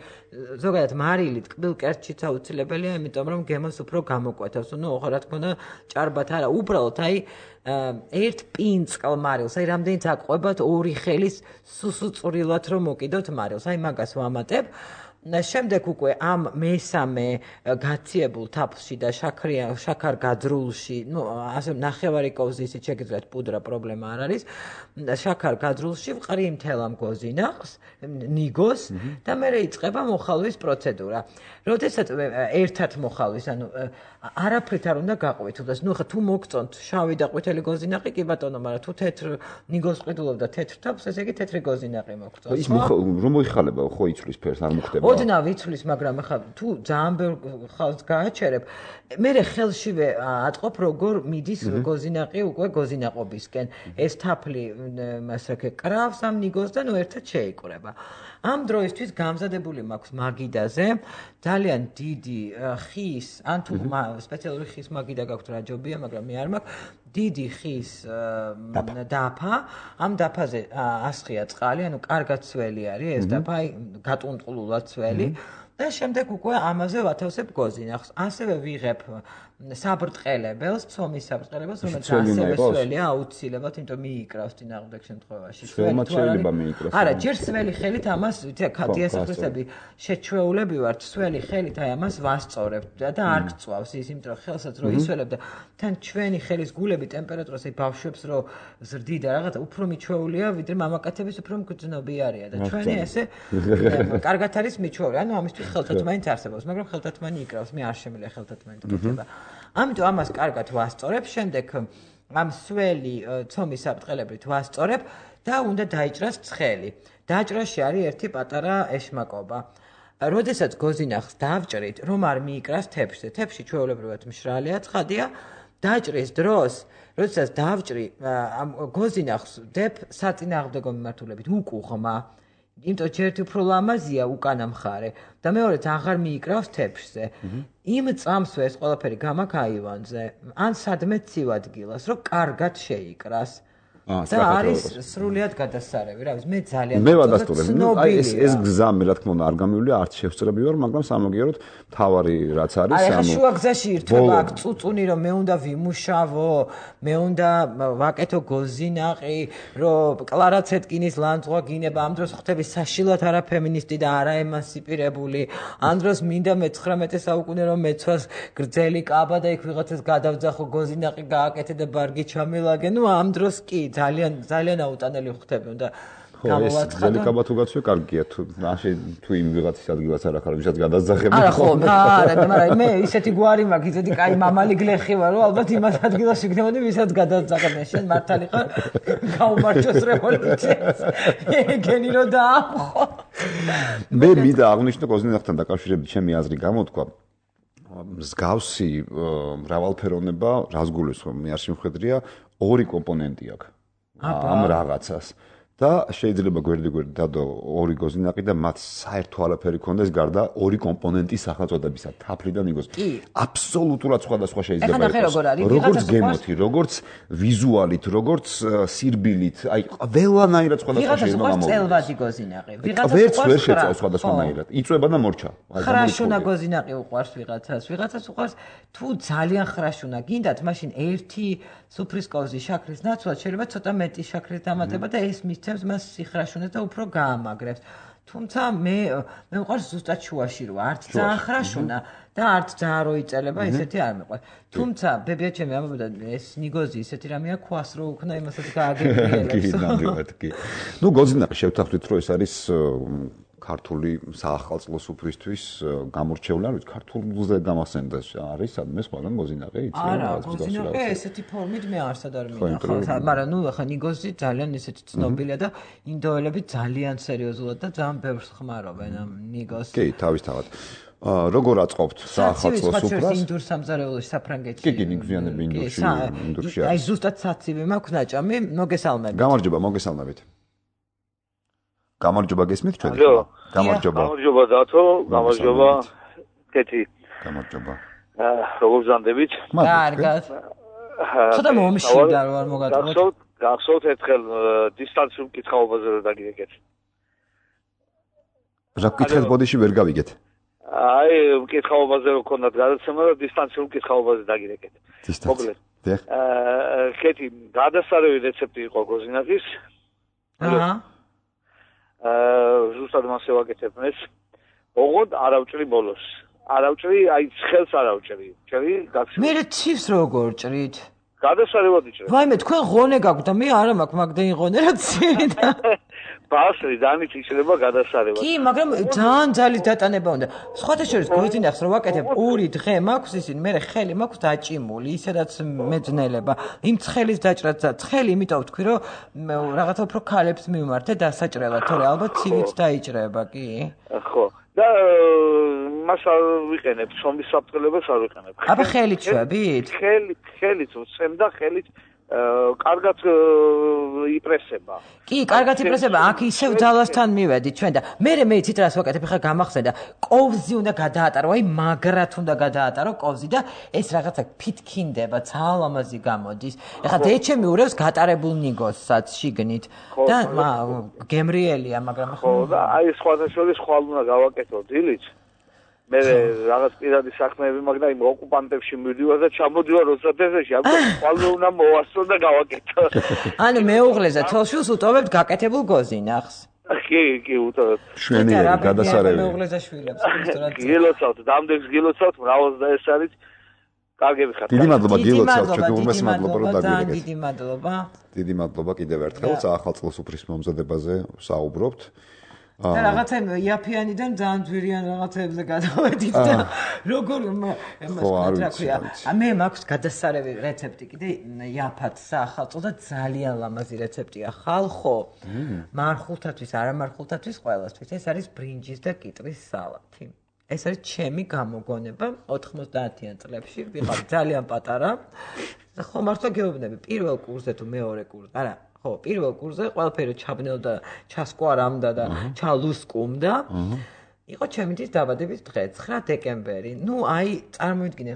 ზოგადად მარილი ტკბილ კერძშიც აუცილებელია იმიტომ რომ გემოს უფრო გამოკვეთავს ნუ რა თქმა უნდა ჭარბად არა უბრალოდ აი ერთ პინწყალ მარილს, აი რამდენიც აყვებათ ორი ხელის სუსუწვრილად რომ მოკიდოთ მარილს, აი მაგას ვამატებ. შემდეგ უკვე ამ მესამე გაციებულ თაფლში და შაქრია შაქარ გაძრულში, ну, ასე ნახევარი კოვზი ისიც შეგიძლიათ პუდრა პრობლემა არ არის. შაქარ გაძრულში ვყრი მთელ ამ გოზინახს, ნიგოს და მე იწყება მოხალვის პროცედურა. როდესაც ერთად მოხალვის, ანუ არაფრით არ უნდა გაყვეთილდეს. ნუ ხა თუ მოგწონთ შავი და ყვითელი გოზინაყი, კი ბატონო, მაგრამ თუ თეთრ ნიგოს ყიდულობ და თეთრ თაფლს, ესე იგი თეთრი გოზინაყი მოგწონს. ის რომ მოიხალება, ხო იცვლის ფერს არ მოხდება. ოდნავ იცვლის, მაგრამ ხა თუ ძალიან ბევრ ხალხს გააჩერებ, მე ხელშივე ატყობ როგორ მიდის გოზინაყი უკვე გოზინაყობისკენ. ეს თაფლი მასაკე კრავს ამ ნიგოს და ნუ ერთად შეიკრება. ამ დროისთვის გამზადებული მაქვს მაგიდაზე ძალიან დიდი ხის ან თუ სპეციალური ხის მაგიდა გაქვთ რა ჯობია მაგრამ მე არ მაქვს დიდი ხის დაფა ამ დაფაზე ასხია წყალი ანუ კარგად ცველი არის ეს დაფა აი გატუნტყლულად ცველი და შემდეგ უკვე ამაზე ვათავსებ გოზინახს ასევე ვიღებ საბრტყელებელს ცომის საბრტყელებელს რომელიც ასევე სველია აუცილებლად იმიტომ მიიკრავს წინააღმდეგ შემთხვევაში სველი თუ შეიძლება მიიკრავს არა ჯერ სველი ხელით ამას დიასახლისები შეჩვეულები ვართ სველი ხელით აი ამას ვასწორებ და არ გწვავს ის იმიტომ რომ ხელსაც რო ისველებ და თან ჩვენი ხელის გულები ტემპერატურას აი ბავშვებს რო ზრდიდა რაღაცა უფრო მიჩვეულია ვიდრე მამაკაცების უფრო მგრძნობიარია და ჩვენი ესე კარგად არის მიჩვეული ანუ ამისთვის ხელთათმანი არსებობს მაგრამ ხელთათმანი იკრავს მე არ შემიძლია ხელთათმანი გქება ამიტომ ამას კარგად ვასწორებ შემდეგ ამ სველი ცომის საფრთხელებრივ ვასწორებ და უნდა დაიჭრას ცხელი. დაჭრაში არის ერთი პატარა ეშმაკობა. როდესაც გოზინახს დავჭრით, რომ არ მიიკრას თეფშზე. თეფში ჩვეულებრივად მშრალია, ცხადია. დაჭრის დროს, როდესაც დავჭრი, ამ გოზინახს ვდებ საწინააღმდეგო მიმართულებით უკუღმა. იმიტომ რომ ერთი უფრო ლამაზია უკანა მხარე და მეორეც აღარ მიიკრავს თეფშზე. იმ წამსვე ეს ყველაფერი გამაქაივანზე, ან სადმე ცივ ადგილას, რომ კარგად შეიკრას. და არის სრულიად გადასარევი, რა ვიცი, მე ძალიან მე ვადასტურებ. აი ეს ეს გზა მე რა თქმა უნდა არ გამივლია, არც შევწრები ვარ, მაგრამ სამაგიეროდ თავარი რაც არის, ანუ აი შუა გზაში ირთვება აქ წუწუნი, რომ მე უნდა ვიმუშავო, მე უნდა ვაკეთო გოზინაყი, რომ კლარა ცეტკინის ლანძღვა გინება, ამ დროს ხვდები საშილად არა ფემინისტი და არა ემანსიპირებული, ამ დროს მინდა მეცხრამეტე საუკუნე რომ მეცვას გრძელი კაბა და იქ ვიღაცას გადავძახო გოზინაყი გააკეთე და ბარგი ჩამილაგე, ნუ ამ დროს კი ძალიან ძალიან აუტანელი ხვდები უნდა გამოვაცხადო. ეს ძელი კაბა თუ გაცვე კარგია თუ ასე თუ იმ ვიღაცის ადგილას არ ახარ ვისაც გადასძახები. არა ხო, არა, მაგრამ მე ისეთი გვარი მაქვს, ისეთი კაი მამალი გლეხი ვარ, რომ ალბათ იმას ადგილას ვიქნებოდი, ვისაც გადასძახებ. შენ მართალი ხარ? გაუმარჯოს რევოლუციას. ეგენი რო დაახო. მე მინდა აღნიშნო გოზინახთან დაკავშირებით ჩემი აზრი გამოთქვა. მსგავსი მრავალფეროვნება, რას გულისხმობ, მე არ შემხედრია, ორი კომპონენტი აქვს. ამ რაღაცას. და შეიძლება გვერდი-გვერდი დადო ორი გოზინაყი და მათ საერთო არაფერი ქონდეს გარდა ორი კომპონენტის სახელწოდებისა, თაფლი და ნიგოზი. აბსოლუტურად სხვადასხვა შეიძლება იყოს. როგორც გემოთი, როგორც ვიზუალით, როგორც სირბილით, აი ყველანაირად სხვადასხვა შეიძლება გამოვიდეს. ვიღაცას წელვადი გოზინაყი, ვიღაცას ვერც ვერ შეწავს სხვადასხვანაირად. იწვება და მორჩა. ხრაშუნა გოზინაყი უყვარს ვიღაცას, ვიღაცას უყვარს თუ ძალიან ხრაშუნა გინდათ, მაშინ ერთი სუფრის კოვზი შაქრის ნაცვლად შეიძლება ცოტა მეტი შაქრის დამატება და ეს მისცემს მას სიხრაშუნას და უფრო გაამაგრებს. თუმცა მე მე მყავს ზუსტად შუაში რო არც ძალიან ხრაშუნა და არც ძალიან რო იწელება, ესეთი არ მეყვარს. თუმცა ბებია ჩემი ამბობდა ეს ნიგოზი ესეთი რამეა ქვას რო უქნა იმასაც გააგებიელებს. კი, ნამდვილად კი. ნუ გოზინაყი შევთანხმდით რომ ეს არის ქართული საახალწლო სუფრისთვის გამორჩეული, არ ვიცი, ქართულზე გამახსენდა არის სადმე სხვაგან გოზინაყი იცი? არა, გოზინაყი ესეთი ფორმით მე არსად არ მინახავს, მაგრამ ნუ ახლა ნიგოზი ძალიან ესეთი ცნობილია და ინდოელები ძალიან სერიოზულად და ძალიან ბევრს ხმარობენ ამ ნიგოზს. კი, თავისთავად. როგორ აწყობთ საახალწლო სუფრას? ინდურ სამზარეულოში საფრანგეთში. კი, კი, ნიგზიანები ინდურში, ინდურში არის. აი ზუსტად საცივი მაქვს ნაჭამი, მოგესალმებით. გამარჯობა, მოგესალმებით. გამარჯობა გესმით ჩვენ? გამარჯობა. გამარჯობა დათო, გამარჯობა კეთი. გამარჯობა. აა როგორ ზანდებით? კარგად. ცოტა მომშიდა რომ არ მოგატყუოთ. გახსოვთ, გახსოვთ ერთხელ დისტანციურ კითხაობაზე რომ დაგიგეთ. რა კითხეთ ბოდიში ვერ გავიგეთ. აი, კითხაობაზე რო ქონდათ გადაცემა და დისტანციურ კითხაობაზე დაგიგეთ. მოკლედ. აა კეთი, გადასარევი რეცეპტი იყო გოზინაყის. აჰა. აა ზუსტად მასე ვაკეთებ ეს. ოღონდ არავჭრი ბოლოს. არავჭრი, აი ცხელს არავჭრი. ჭრი გაქცევ. მე ცივს როგორ ჭრით? გადასარევად იჭრე. ვაიმე, თქვენ ღონე გაქვთ და მე არა მაქვს მაგდენი ღონე რა ცივი და ბასრი დანით იჭრება გადასარევად. კი, მაგრამ ძალიან ძალის დატანება უნდა. სხვათა შორის გოზინახს რო ვაკეთებ ორი დღე მაქვს ისინი, მე ხელი მაქვს დაჭიმული, ისედაც მეძნელება. იმ ცხელის დაჭრაც და ცხელი, იმიტომ ვთქვი რომ რაღაცა უფრო ქალებს მიმართე დასაჭრელად, თორე ალბათ ცივიც დაიჭრება, კი? ხო. და მას არ ვიყენებ, ცომის საფრთხელებას არ ვიყენებ. აბა ხელით შვებით? ხელით, ხელით ვცემ და ხელით კარგად იპრესება. კი, კარგად იპრესება. აქ ისევ ძალასთან მივედი ჩვენ და მე მე იცით რას ვაკეთებ, ხა გამახსენდა. კოვზი უნდა გადაატარო, აი მაგრად უნდა გადაატარო კოვზი და ეს რაღაცა ფითქინდება, ძალიან ლამაზი გამოდის. ეხლა დეჩემი ურევს გატარებულ ნიგოზსაც შიგნით და გემრიელია, მაგრამ ხო და აი სხვათა შორის ხვალ უნდა გავაკეთო დილით. მე რაღაც პირადი საქმეები მაქვს და იმ ოკუპანტებში მივდივარ და ჩამოდივარ რუსეთში, ამიტომ ხვალ უნდა მოვასწრო და გავაკეთო. ანუ მეუღლეზე თოლშულს უტოვებთ გაკეთებულ გოზინახს. კი, კი, უტოვებ. შვენიერი გადასარევი. მეუღლეზე შვილებს, ისტორად. გილოცავთ, დამდეგს გილოცავთ, მრავალს და ეს არის კარგები ხართ. დიდი მადლობა გილოცავთ, ჩვენ უმეს მადლობა რომ დაგიგეთ. დიდი მადლობა. დიდი მადლობა კიდევ ერთხელ საახალწლო სუფრის მომზადებაზე საუბრობთ. და რაღაცა იაფიანიდან ძალიან ძვირიან რაღაცებზე გადავედით და როგორ იმას რა ქვია მე მაქვს გადასარევი რეცეპტი კიდე იაფად საახალწლო და ძალიან ლამაზი რეცეპტია ხალხო მარხულთათვის არამარხულთათვის ყველასთვის ეს არის ბრინჯის და კიტრის სალათი ეს არის ჩემი გამოგონება ოთხმოცდაათიან წლებში ვიყავ ძალიან პატარა და ხო მართლა გეუბნები პირველ კურსზე თუ მეორე კურსზე არა ხო პირველ კურსზე ყველაფერი ჩაბნელდა ჩასკვარამდა და ჩალუსკუმდა იყო ჩემი დის დაბადების დღე ცხრა დეკემბერი ნუ აი წარმოვიდგინე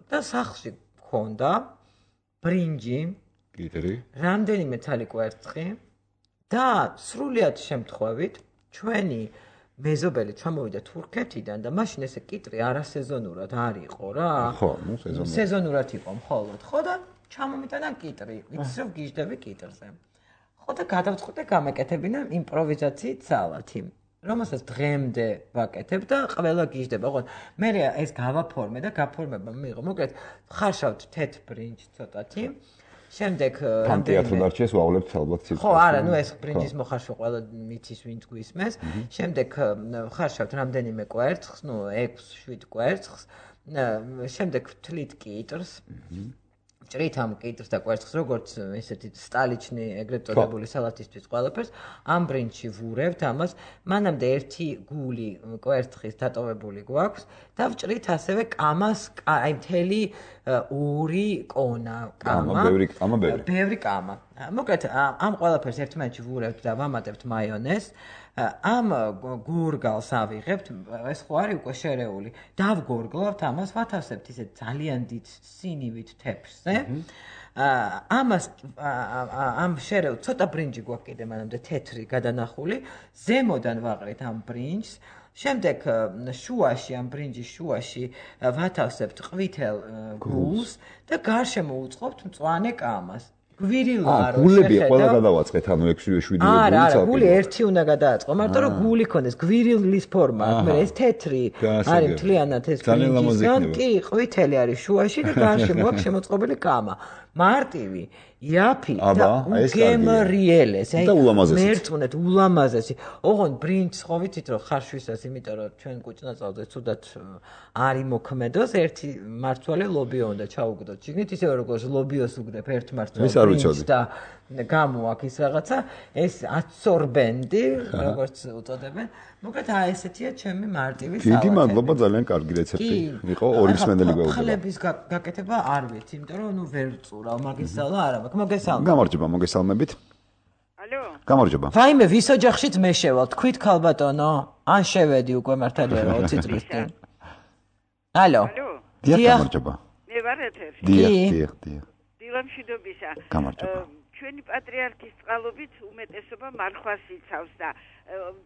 და სახლში მქონდა ბრინჯი კიტრი რამდენიმე ცალი კვერცხი და სრულიად შემთხვევით ჩვენი მეზობელი ჩამოვიდა თურქეთიდან და მაშინ ესე კიტრი არასეზონურად არ იყო რა ხო ნუ სეზონურად სეზონურად იყო მხოლოდ ხო და ჩამომიტანა კიტრი ვიცი რომ გიждები კიტრზე ხო და გადავწყვიტე გამეკეთებინა იმპროვიზაციით სალათი რომელსაც დღემდე ვაკეთებ და ყველა გიждება ხო მე ეს გავაფორმე და გაფორმება მიიღო მოკლედ ხარშავთ თეთრ ბრინჯს ცოტათი შემდეგ რამდენიმე თუ დარჩეს ვავლებთ ალბათ ციფრს ხო არა ნუ ეს ბრინჯის მოხარშვა ყველა მითის ვინც გვისმეს შემდეგ ხარშავთ რამდენიმე კვერცხს ნუ ექვს შვიდ კვერცხს შემდეგ ვთლით კიტრს ჭრით ამ კიტრს და კვერცხს როგორც ესეთი სტალიჩნი ეგრეთ წოდებული სალათისთვის ყველაფერს ამ ბრინჯში ვურევთ ამას მანამდე ერთი გული კვერცხის დატოვებული გვაქვს და ვჭრით ასევე კამას აი მთელი ორი კონა კამა ბევრი კამა ბევრი ბევრი კამა მოკლედ ამ ყველაფერს ერთმანეთში ვურევთ და ვამატებთ მაიონეზს ამ გურგალს ავიღებთ ეს ხო არის უკვე შერეული დავგორგლავთ ამას ვათავსებთ ისე ძალიან დიდ სინივით თეფშზე ამას ამ შერეულ ცოტა ბრინჯი გვაქვს კიდე მანამდე თეთრი გადანახული ზემოდან ვაყრით ამ ბრინჯს შემდეგ შუაში ამ ბრინჯის შუაში ვათავსებთ ყვითელ გულს და გარშემო უწყობთ მწვანე კამას გვირილა რო გულები ყველა გადავაწყეთ ანუ ექვსი შვიდი გული არა არა გული ერთი უნდა გადააწყო მარტო რომ გული ქონდეს გვირილის ფორმა აქვს მე ეს თეთრი არის მთლიანად ეს ბრინჯისგან კი ყვითელი არის შუაში და გარშემო აქვს შემოწყობილი კამა მარტივი იაფი და უგემრიელეს აი მერწმუნეთ ულამაზესი ოღონდ ბრინჯს ხო ვიცით რომ ხარშვისას იმიტომ რომ ჩვენ კუჭნაწალზე ცუდად არ იმოქმედოს ერთი მართვალი ლობიო უნდა ჩაუგდოთ შიგნით ისევე როგორც ლობიოს უგდებ ერთ მართვალს და გამოაქვს ის რაღაცა ეს აცორბენდი როგორც უწოდებენ მოკლედ აი ესეთია ჩემი მარტივი სალათი დიდი მადლობა ძალიან კარგი რეცეპტი იყო ორი მსმენელი გვეუბნება ხლების გაკეთება არ ვიცი იმიტომ რომ ნუ ვერ წურავ მაგისალა არა მაქვს მოგესალმებით გამარჯობა მოგესალმებით ალო გამარჯობა ვაიმე ვის ოჯახშიც მე შევალ თქვით ქალბატონო ან შევედი უკვე მართალია ოცი წლის წინ ალო დიახ გამარჯობა მე ვარ ეთერში დიახ დიახ დიახ დილამშვიდობისა გამარჯობა ჩვენი პატრიარქის წყალობით უმეტესობა მარხვას იცავს და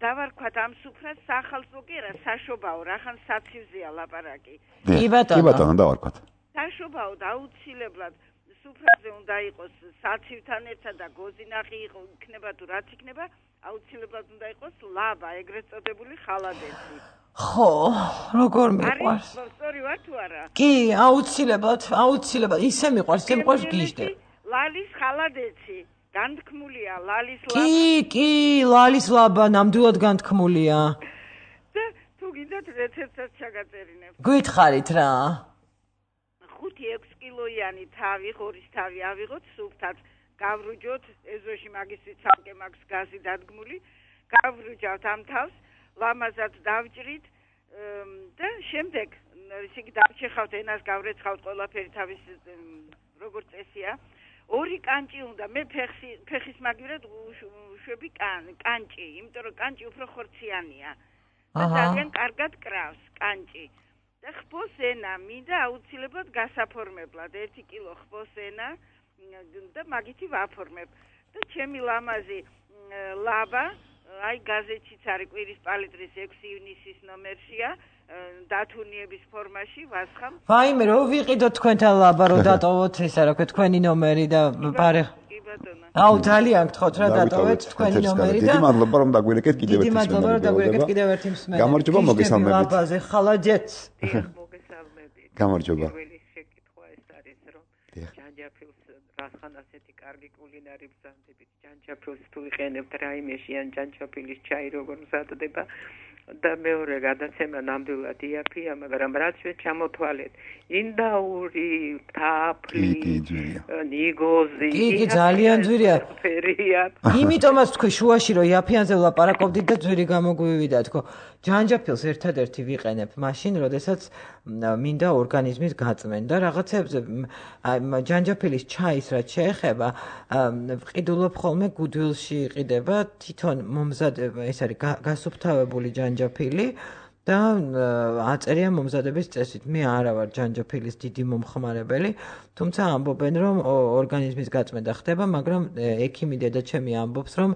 დავარქვათ ამ სუფრას სახალხო კი არა საშობაო რახან საცივზეა ლაპარაკი კი ბატონო კი ბატონო დავარქვათ საშობაო და აუცილებლად სუფრაზე უნდა იყოს საცივთან ერთად და გოზინახი იქნება თუ რაც იქნება აუცილებლად უნდა იყოს ლაბა ეგრეთ წოდებული ხალადეცი ხო როგორ მიყვარს სწორი ვარ თუ არა კი აუცილებლად აუცილებლად ისე მიყვარს ისე მიყვარს გიждებ ლალის ხალადეცი განთქმულია ლალის ლაბა კი კი ლალის ლაბა ნამდვილად განთქმულია და თუ გინდათ რეცეპტსაც ჩაგაწერინებ გითხარით რა ხუთი ექვსი კილოიანი თავი ღორის თავი ავიღოთ სუფთად გავრუჯოთ ეზოში მაგისტრი ცალკე მაქვს გაზი დადგმული გავრუჯავთ ამ თავს ლამაზად დავჭრით და შემდეგ ისე კი დავჭეხავთ ენას გავრეცხავთ ყველაფერი თავის როგორც წესია ორი კანჭი უნდა მე ფეხი ფეხის მაგივრად შვები კანჭი იმიტომ რომ კანჭი უფრო ხორციანია და ძალიან კარგად კრავს კანჭი და ხბოს ენა მინდა აუცილებლად გასაფორმებლად ერთი კილო ხბოს ენა და მაგითი ვაფორმებ და ჩემი ლამაზი ლაბა აი გაზეთშიც არის კვირის პალიტრის ექვსი ივნისის ნომერშია დათუნიების ფორმაში ვასხამ ვაიმე რო ვიყიდოთ თქვენთან ლაბა რო დატოვოთ ისა რა ქვია თქვენი ნომერი და პარე კი ბატონო აუ ძალიან გთხოვთ რა დატოვეთ თქვენი ნომერი და დიდი მადლობა რომ დაგვირეკეთ კიდევ ერთი დიდი მადლობა რომ დაგვირეკეთ კიდევ ერთი მსმენელი გამარჯობა მოგესალმებით ლაბაზე ხალაჯეთ მოგესალმებით გამარჯობა პირველი შეკითხვა ეს არის რომ ჯაჯაფილს რასხან ასეთი კარგი კულინარი ბრძანდებით ჯანჯაფილს თუ ვიყენებთ რაიმეში ან ჯანჯაფილის ჩაი როგორ მზადდება და მეორე გადაცემა ნამდვილად იაფია, მაგრამ რაც ჩვენ ჩამოთვალეთ, ინდაური, თაფლი, ნიგოზი, კი, კი, ძალიან ძვირია. იმიტომაც თქვი შუაში რომ იაფიანზე ვლაპარაკობდით და ძვირი გამოგვივიდა თქო. ჯანჯაფილს ერთადერთი ვიყენებ მაშინ, როდესაც მინდა ორგანიზმის გაწმენდა რაღაცებზე ჯანჯაფილის ჩაის რაც შეეხება, ვყიდულობ ხოლმე გუდვილში იყიდება თვითონ მომზადება, ეს არის გასუფთავებული ჯანჯაფილი და აწერია მომზადების წესით. მე არა ვარ ჯანჯაფილის დიდი მომხმარებელი, თუმცა ამბობენ რომ ორგანიზმის გაწმენდა ხდება, მაგრამ ექიმი დედაჩემი ამბობს რომ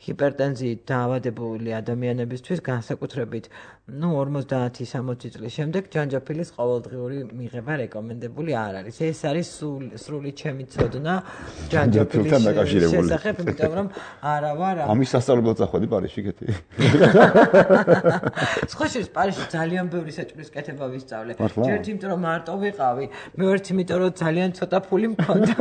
ჰიპერტენზიით დაავადებული ადამიანებისთვის განსაკუთრებით ну ორმოცდაათი სამოცი წლის შემდეგ ჯანჯაფილის ყოველდღიური მიღება რეკომენდებული არ არის. ეს არის სრული ჩემი ცოდნა ჯანჯაფილის შესახებ, იმიტომ რომ არა ვარ ამის სასწავლებლად წახვედი პარიზში კეთი. სხვა შორის პარიზში ძალიან ბევრი საჭმლის კეთება ვისწავლე. ერთ იმიტომ რომ მარტო ვიყავი, მეორე იმიტომ რომ ძალიან ცოტა ფული მქონდა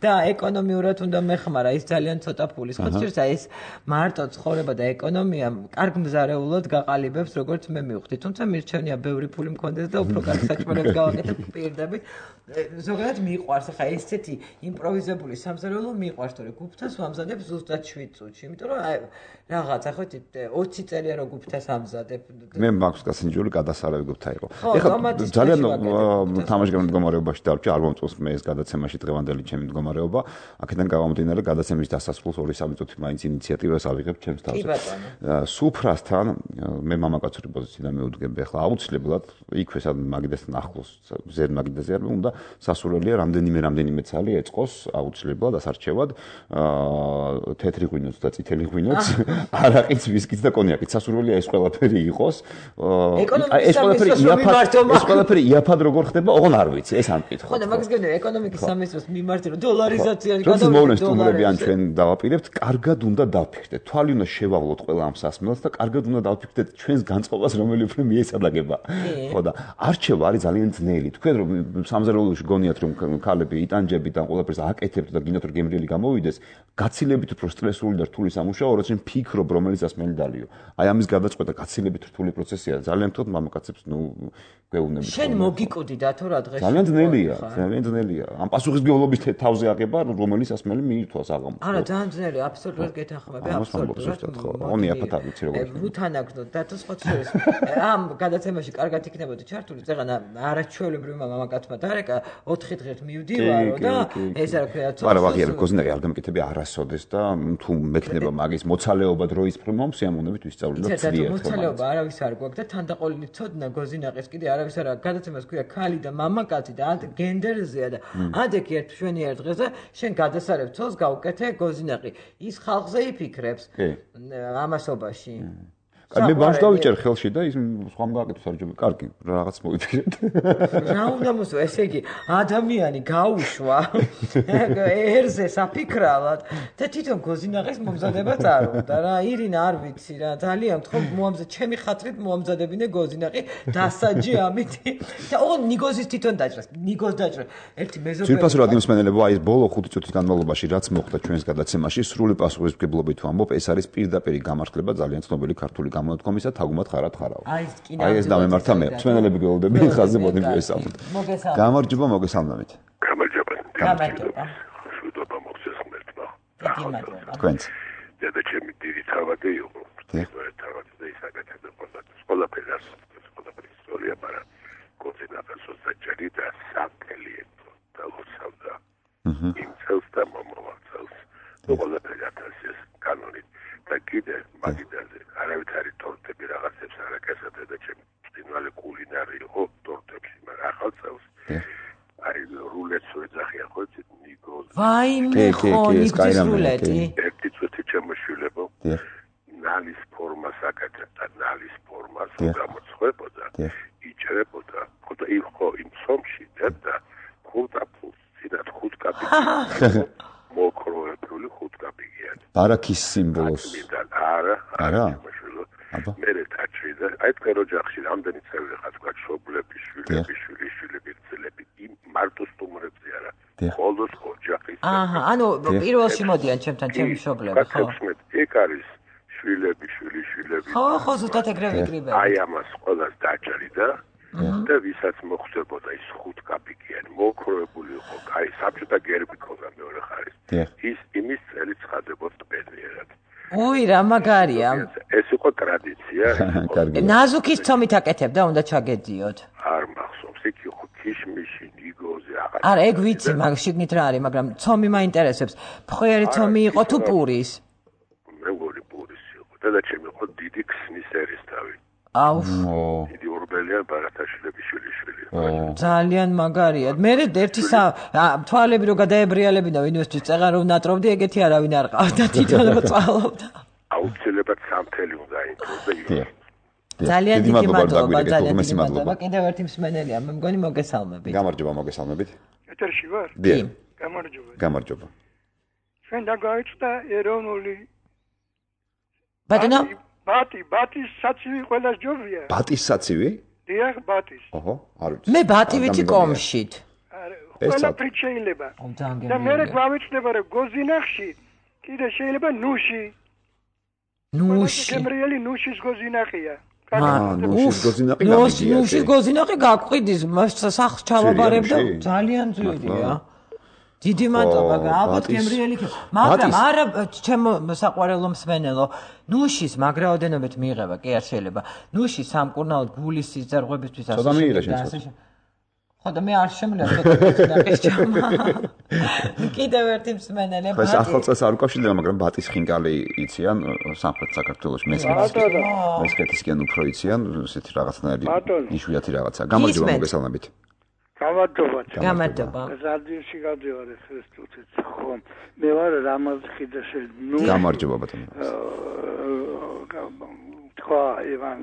და ეკონომიურად უნდა მეხმარა ის ძალიან ცოტა ფული. სხვა შორის ეს მარტო ცხოვრება და ეკონომია კარგ მზარეულოდ გაყალიბებს როგორც მე მივხვდი, თუმცა მირჩენია ბევრი ფული მქონდეს და უფრო კარგ საჭმელებს გავაკეთებ პირდებით. ზოგადად მიყვარს ახლა ესეთი იმპროვიზებული სამზარეულო მიყვარს, თორე გუფთას ვამზადებ ზუსტად შვიდ წუთში, იმიტომ რომ აი რაღაც ახლა ოცი წელია რომ გუფთას ამზადებ. მე მაქვს გასინჯული გადასარევი გუფთა იყო. ეხლა ძალიან თამაშგან მდგომარეობაში დავჭი, არ მომწონს მე ეს გადაცემაში დღევანდელი ჩემი მდგომარეობა. აქედან გამომდინარე გადაცემის დასასრულს ორი სამი წუთი მაინც ინიციატივას ავიღებ ჩემს თავზე. სუფრასთან მე მამაკაცური პოზიციიდან მივუდგები ახლა აუცილებლად იქვე სად მაგიდასთან ახლოს ზედ მაგიდაზე არ უნდა სასურველია რამდენიმე რამდენიმე ცალი ეწყოს აუცილებლად ასარჩევად თეთრი ღვინოც და წითელი ღვინოც არაყიც ვისკიც და კონიაკიც სასურველია ეს ყველაფერი იყოს ეს ყველაფერი იაფად ეს ყველაფერი იაფად როგორ ხდება ოღონ არ ვიცი ეს ამ კითხვა ხო და მაგის გენდა ეკონომიკის სამინისტროს მიმართ რომ დოლარიზაცია გადავიდეთ დოლარები ან ჩვენ დავაპირებთ კარგად უნდა დავფიქრდეთ თვალი უნდა შევავლოთ ყველა ამ სასმელს და კარგად უნდა დავფიქრდეთ ჩვენს განწყობას რომელი უფრო მიესადაგება ხო და არჩევა არის ძალიან ძნელი თქვენ რომ სამზარეულოში გონიათ რომ ქალები იტანჯებით ან ყველაფერს აკეთებთ და გინდათ რომ გემრიელი გამოვიდეს გაცილებით უფრო სტრესული და რთული სამუშაო როცა ფიქრობ რომელიც ასმელი დალიო აი ამის გადაწყვეტა გაცილებით რთული პროცესია ძალიან თქო მამაკაცებს ნუ გვეუბნებით შენ მოგიკუდი და თუ რა დღეს ძალიან ძნელია ძალიან ძნელია ამ პასუხისმგებლობის თავზე აღება რომელიც ასმელი მიირთვას აღამო არა ძალიან ძნელია აბსოლუტურად გეთანხმები აბსოლუტურად ონი აფათ არ ვიცი როგორ ვუთანაგდოთ და თუ სხვა შორის ამ გადაცემაში კარგად იქნებოდა ჩართული წეგან არაჩვეულებრივმა მამაკაცმა დარეკა ოთხი დღით მივდივარო და ეს რა ქვია ცოტა არა ვაღიარებ გოზნერი არ გამეკეთები არასოდეს და თუ მექნება მაგის მოცალეობა დროის პრომომსიამონებით ვისწავლე და ძლიერ მოცალეობა არავის არ გვაქვს და თანდაყოლილი ცოდნა გოზინაყის კიდე არავის არ აქვს გადაცემას ქვია ქალი და მამაკაცი და ანტ გენდერზეა და ადეკი ერთ შვენიერ დღეს და შენ გადასარევ ცოლს გავუკეთე გოზინაყი ის ხალხზე იფიქრებს ამასობაში მე ბანს დავიჭერ ხელში და ის სხვამ გააკეთოს არ ჯობი კარგი რაღაც მოვიფიქრეთ რა უნდა მოსვა ესე იგი ადამიანი გაუშვა ერზე საფიქრალად და თვითონ გოზინაყის მომზადება წარობდა რა ირინა არ ვიცი რა ძალიან თქო მოამზად ჩემი ხათრით მოამზადებინე გოზინაყი დასაჯი ამითი და ოღონ ნიგოზის თვითონ დაჭრას ნიგოზ დაჭრა ერთი მეზობელი ძირფას რა დიმსმენელებო აი ეს ბოლო ხუთი წუთის განმავლობაში რაც მოხდა ჩვენს გადაცემაში სრული პასუხისმგებლობით ვამბობ ეს არის პირდაპირი გამართლება ძალიან ცნობილი ქართული გამონათქვამისა თაგუმად ხარად ხარავ. აი ეს დამემართა მე. მსმენელები გეუბნები ხაზზე მოდი ესალმოთ. გამარჯობა მოგესალმებით. გამარჯობა. გამარჯობა. შუდობა მოგესალმებთ. თქვენც. დედაჩემი დიდი თავადი იყო. ეს თავადი და ისაკეთებდა ყველაფერს. ყველაფერს ყველაფერს ისტორია, მაგრამ კოცინაფას საჭირი და საფელიეთო და ლოცავდა. იმ წელს და მომავალს. ყველაფერს ათასის კანონით და კიდე მაგიდაზე არავითარი ტორტები რაღაცებს არაკესად და ჩემი წინვალე კულინარი იყო ტორტებში მაგრამ ახალ წელს აი რულეტს ვეძახია ხო იცით ნიგოზ ვაიმე ხო ნიგზის რულეტი ერთი წუთი შემოშვილებო ნალის ფორმას აკეთებ და ნალის ფორმას გამოცხებოდა იჭერებოდა ხო და იყო იმ სომში და ხუთ აფულს წინათ ხუთ კაპიტი მოკროებული ხუთ კაპიგიან ბარაქის სიმბოლოს არა არა აბა მე რეთაჩი და აი თქვენ ოჯახში რამდენი წევრი ხართ თქვა შობლები შვილები შვილიშვილები ძლები იმ მარტო სტუმრებზე არა ყოველს ოჯახ აჰა, ანუ პირველში მოდიან ჩემთან ჩემი მშობლები, ხო? გაგხსნით, ეგ არის შვილები, შვილი, შვილები. ხო, ხო, ზუსტად ეგრე ვიკრიბები. აი ამას ყველას დაჭრიდა და ვისაც მოხდებოდა ის ხუთ კაპიკიანი მოკროებული იყო, აი საბჭოთა გერბი ქონდა მეორე ხარის. ის იმის წელი ცხადებოდა ბედნიერად. ой, რა მაგარია. ეს იყო ტრადიცია. ნაზუქის ცომით აკეთებდა, უნდა ჩაგედიოთ. არ მახსოვს, იქ იყო ქიშმიში, ნიგოზე, აღარ. არა, ეგ ვიცი, მაგრამ შიგნით რა არის, მაგრამ ცომი მაინტერესებს. ფხვიერი ცომი იყო თუ პურის? მეგორი პურის იყო. დედაჩემი იყო დიდი ქსნის ერისთავი. აუ. დიდი ორბელიან ბარათაშვილების შვილიშვილი. ძალიან მაგარია. მე ერთი თვალები რო გადაებრიალებინა ვინმესთვის წეღარ რომ ნატრობდი, ეგეთი არავინ არ ყავდა, თვითონ მოწვალობდა. აუცილებლად სამთელი უნდა იმქოს და იყო. ძალიან დიდი მადლობა, ძალიან დიდი მადლობა. კიდევ ერთი მსმენელია, მე მგონი მოგესალმებით. გამარჯობა, მოგესალმებით. ეთერში ვარ? კი. გამარჯობა. გამარჯობა. ჩვენ დაგაიწყდა ეროვნული ბატონო? ბატი, ბატის საცივი ყველას ჯობია. ბატის საცივი? დიახ, ბატის. ოჰო, არ ვიცი. მე ბატი ვიცი კომშით. ყველა ფრით შეიძლება. და მე გვამეცნება რომ გოზინახში კიდე შეიძლება ნუში. ნუში. გემრიელი ნუშის გოზინახია. აა, ნუშის გოზინახი გამიგია. ნუშის გოზინახი გაყიდის, სახს ჩავაბარებ და ძალიან ძვირია. დიდი მადლობა, ალბათ გემრიელი იქნება. მაგრამ არა ჩემო საყვარელო მსმენელო, ნუშის მაგრაოდენობით მიიღება, კი არ შეიძლება. ნუში სამკურნალოდ გულის სიზარღვებისთვის ასე. ცოტა მიიღე შენ. ხო და მე არ შემიძლია ცოტა გოზინახის ჩამა. კიდევ ერთი მსმენელი ბატი. ეს ახალწელს არ უკავშირდება, მაგრამ ბატის ხინკალი იციან სამხრეთ საქართველოში მესხეთისკენ. მესხეთისკენ უფრო იციან, ესეთი რაღაცნაირი იშვიათი რაღაცა. გამარჯობა, მოგესალმებით. გამარჯობა. გამარჯობა. რადიოში გადავარ ხესტუთიც. ხო, მე ვარ რამაზხიდაში. ნუ გამარჯობა ბატონო. თქვა ივან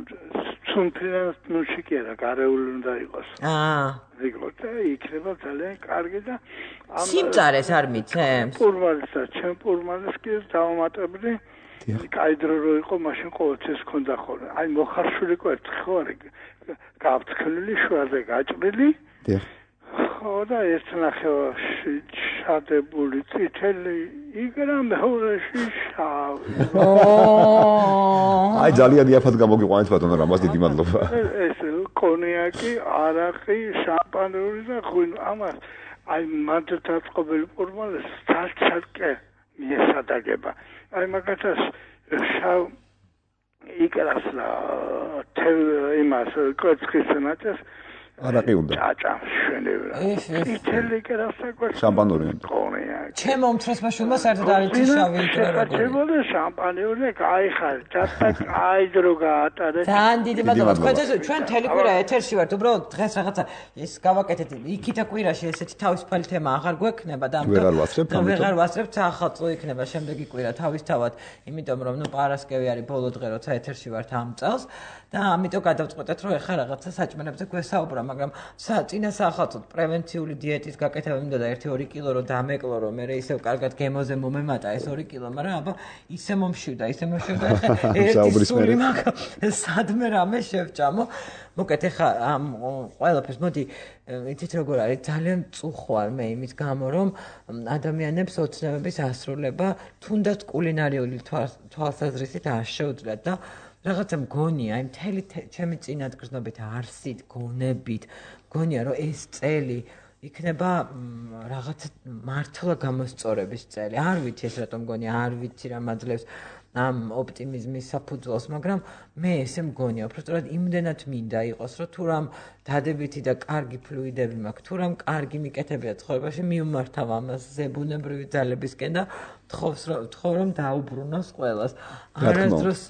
სუნფრენს ნუში კი არა, გარეული უნდა იყოს. აა. ვიგოთ, იქნება ძალიან კარგი და ამ სიმწარეს არ მიცემს. პურმალისა, ჩემ პურმალის კი დავამატებდი. კაი დრო რო იყო, მაშინ ყოველთვის ქონდა ხოლმე. აი მოხარშული კვერთხი ხო არის? გავწქნილი შუაზე გაჭრილი. დიახ. ხო და ერთ ნახევარში ჩადებული წითელი იგრა მეორეში შავი. აი ძალიან იაფად გამოგიყვანეთ ბატონო რამას დიდი მადლობა. ეს კონიაკი, არაყი, შამპანური და ღვინო ამას აი მანდათაწყობილი პურმალს ცალ-ცალკე მიესადაგება. აი მაგათაც შავ იგრას და თელ იმას კვერცხის ნაწილს არაყი უნდა. ჭაჭა შენევრა. ითელი კერასაკვა. შამპანური. კონიაკი. ჩემო უმცროსმა შვილმა საერთოდ არ იცის შავი იკრა როგორი. ჩემო შამპანიური кайხარ. ჭაჭა кай დრო გაატარეთ. ძალიან დიდი მადლობა. თქვენთვის ჩვენ თელი კვირა ეთერში ვართ. უბრალოდ დღეს რაღაცა ის გავაკეთეთ. იქითა კვირაში ესეთი თავისუფალი თემა აღარ გვექნება და ამიტომ ვეღარ ვასწრებთ. ვეღარ ვასწრებთ ახალწლო იქნება შემდეგი კვირა თავისთავად. იმიტომ რომ ნუ პარასკევი არის ბოლო დღე როცა ეთერში ვართ ამ წელს და ამიტომ გადავწყვეტეთ რომ ეხლა რაღაცა საჭმელებზე გვესაუბრა, მაგრამ წინა საახალწლოდ პრევენციული დიეტის გაკეთება მინდოდა ერთი ორი კილო რომ დამეკლო რომ მე ისევ კარგად გემოზე მომემატა ეს ორი კილო, მაგრამ აბა ისე მომშივდა, ისე მომშივდა ეხლა ერთი სული მაგ სადმე რამე შევჭამო. მოკეთ ეხლა ამ ყველაფერს მოდი იცით როგორ არის ძალიან წუხვარ მე იმის გამო რომ ადამიანებს ოცნებების ასრულება თუნდაც კულინარიული თვალსაზრისით არ შეუძლიათ და რაღაცა მგონია, აი მთელი ჩემი წინადგრძნობით არსით, გონებით, მგონია რომ ეს წელი იქნება რაღაცა მართლა გამოსწორების წელი. არ ვიცი ეს რატომ მგონია, არ ვიცი რა მაძლევს ამ ოპტიმიზმის საფუძველს, მაგრამ მე ესე მგონია, უბრალოდ იმდენად მინდა იყოს, რომ თუ რამ დადებითი და კარგი ფლუიდები მაქვს, თუ რამ კარგი მიკეთებია ცხოვრებაში, მიუმართავ ამას ზებუნებრივი ძალებისკენ და თხოვს რომ თხოვ რომ დაუბრუნოს ყველას. არასდროს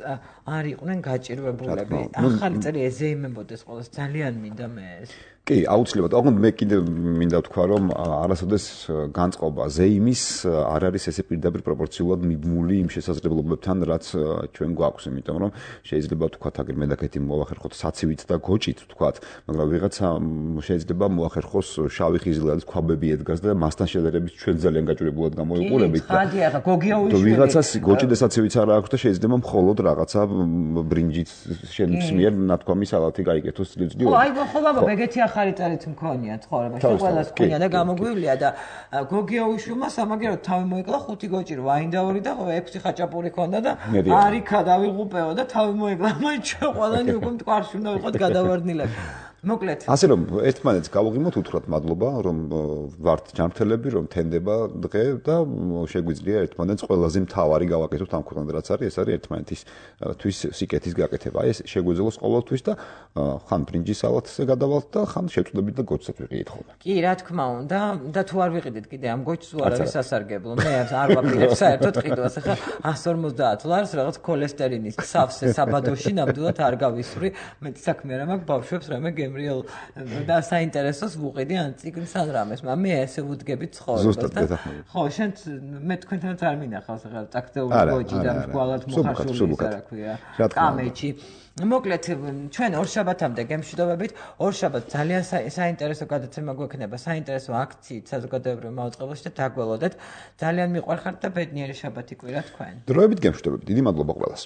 არ იყვნენ გაჭირვებულები. ახალი წელი ეზეიმებოდეს ყველას, ძალიან მინდა მე ეს. კი, აუცილებლად. ოღონდ მე კიდე მინდა ვთქვა, რომ არასოდეს განწყობა ზეიმის არ არის ესე პირდაპირ პროპორციულად მიბმული იმ შესაძლებლობებთან, რაც ჩვენ გვაქვს, იმიტომ რომ შეიძლება ვთქვათ, აგერ მედაკეთი მოახერხოთ საცივით და გოჭით ვთქვათ, მაგრამ ვიღაცა შეიძლება მოახერხოს შავი ხიზილალის ქვაბები ედგას და მასთან შედარებით ჩვენ ძალიან გაჭირებულად გამოიყურებით. კი, ხადია, გოგიაუიშვილი. ვიღაცას გოჭი და საცივით არ აქვს და შეიძლება მხოლოდ რაღაცა ბრინჯით შენს მიერ ნათქვამი სალათი გაიგეთოს წლიწდი. ხო, აი ხო ბაბა, ეგეთი ახალი წარით მქონია ცხოვრებაში, ყველას მქონია და გამოგვივლია და გოგიაუშვილმა სამაგეროდ თავი მოიკლა ხუთი გოჭი რო აინდაური და ექვსი ხაჭაპური ქონდა და არიქა დავიღუპეო და თავი მოიკლა, მაინც ჩვენ ყველანი უკვე მტკვარში უნდა ვიყოთ გადავარდნილები. მოკლედ. ასე რომ ერთმანეთს გავუღიმოთ უთხრათ მადლობა, რომ ვართ ჯანმრთელები, რომ თენდება დღე და შეგვიძლია ერთმანეთს ყველაზე მთავარი გავაკეთოთ ამ ქვეყანაზე, რაც არის, ეს არის ერთმანეთის თვის სიკეთის გაკეთება. აი ეს შეგვეძლოს ყოველთვის და ხან ბრინჯის სალათზე გადავალთ და ხან შევწუდებით და გოჩსაც ვიყიდით ხოლმე. კი, რა თქმა უნდა, და თუ არ ვიყიდით კიდე ამ გოჩს არ არის სასარგებლო. მე არ ვაპირებ საერთოდ ყიდვას. ახლა εκατს ორმოცდაათ ლარს რაღაც ქოლესტერინის სავსე საბადოში ნამდვილად არ გავისვრი. მე საქმე რა მაქვს ბავშვებს რამე გემრიელ და საინტერესოს ვუყიდი ან წიგნს ან რამეს, მაგრამ მე ესე ვუდგები ცხოვრებას და ხო, შენ მე თქვენთანაც არ მინახავს ახლა ტაქტეული გოჯი და მრგვალად მოხარშული ის რა ქვია, კამეჩი. მოკლედ, ჩვენ ორშაბათამდე გემშვიდობებით, ორშაბათ ძალიან საინტერესო გადაცემა გვექნება, საინტერესო აქციით საზოგადოებრივ მაუწყებელში და დაგველოდეთ. ძალიან მიყვარხართ და ბედნიერი შაბათი კვირა თქვენ. დროებით გემშვიდობებით. დიდი მადლობა ყველას.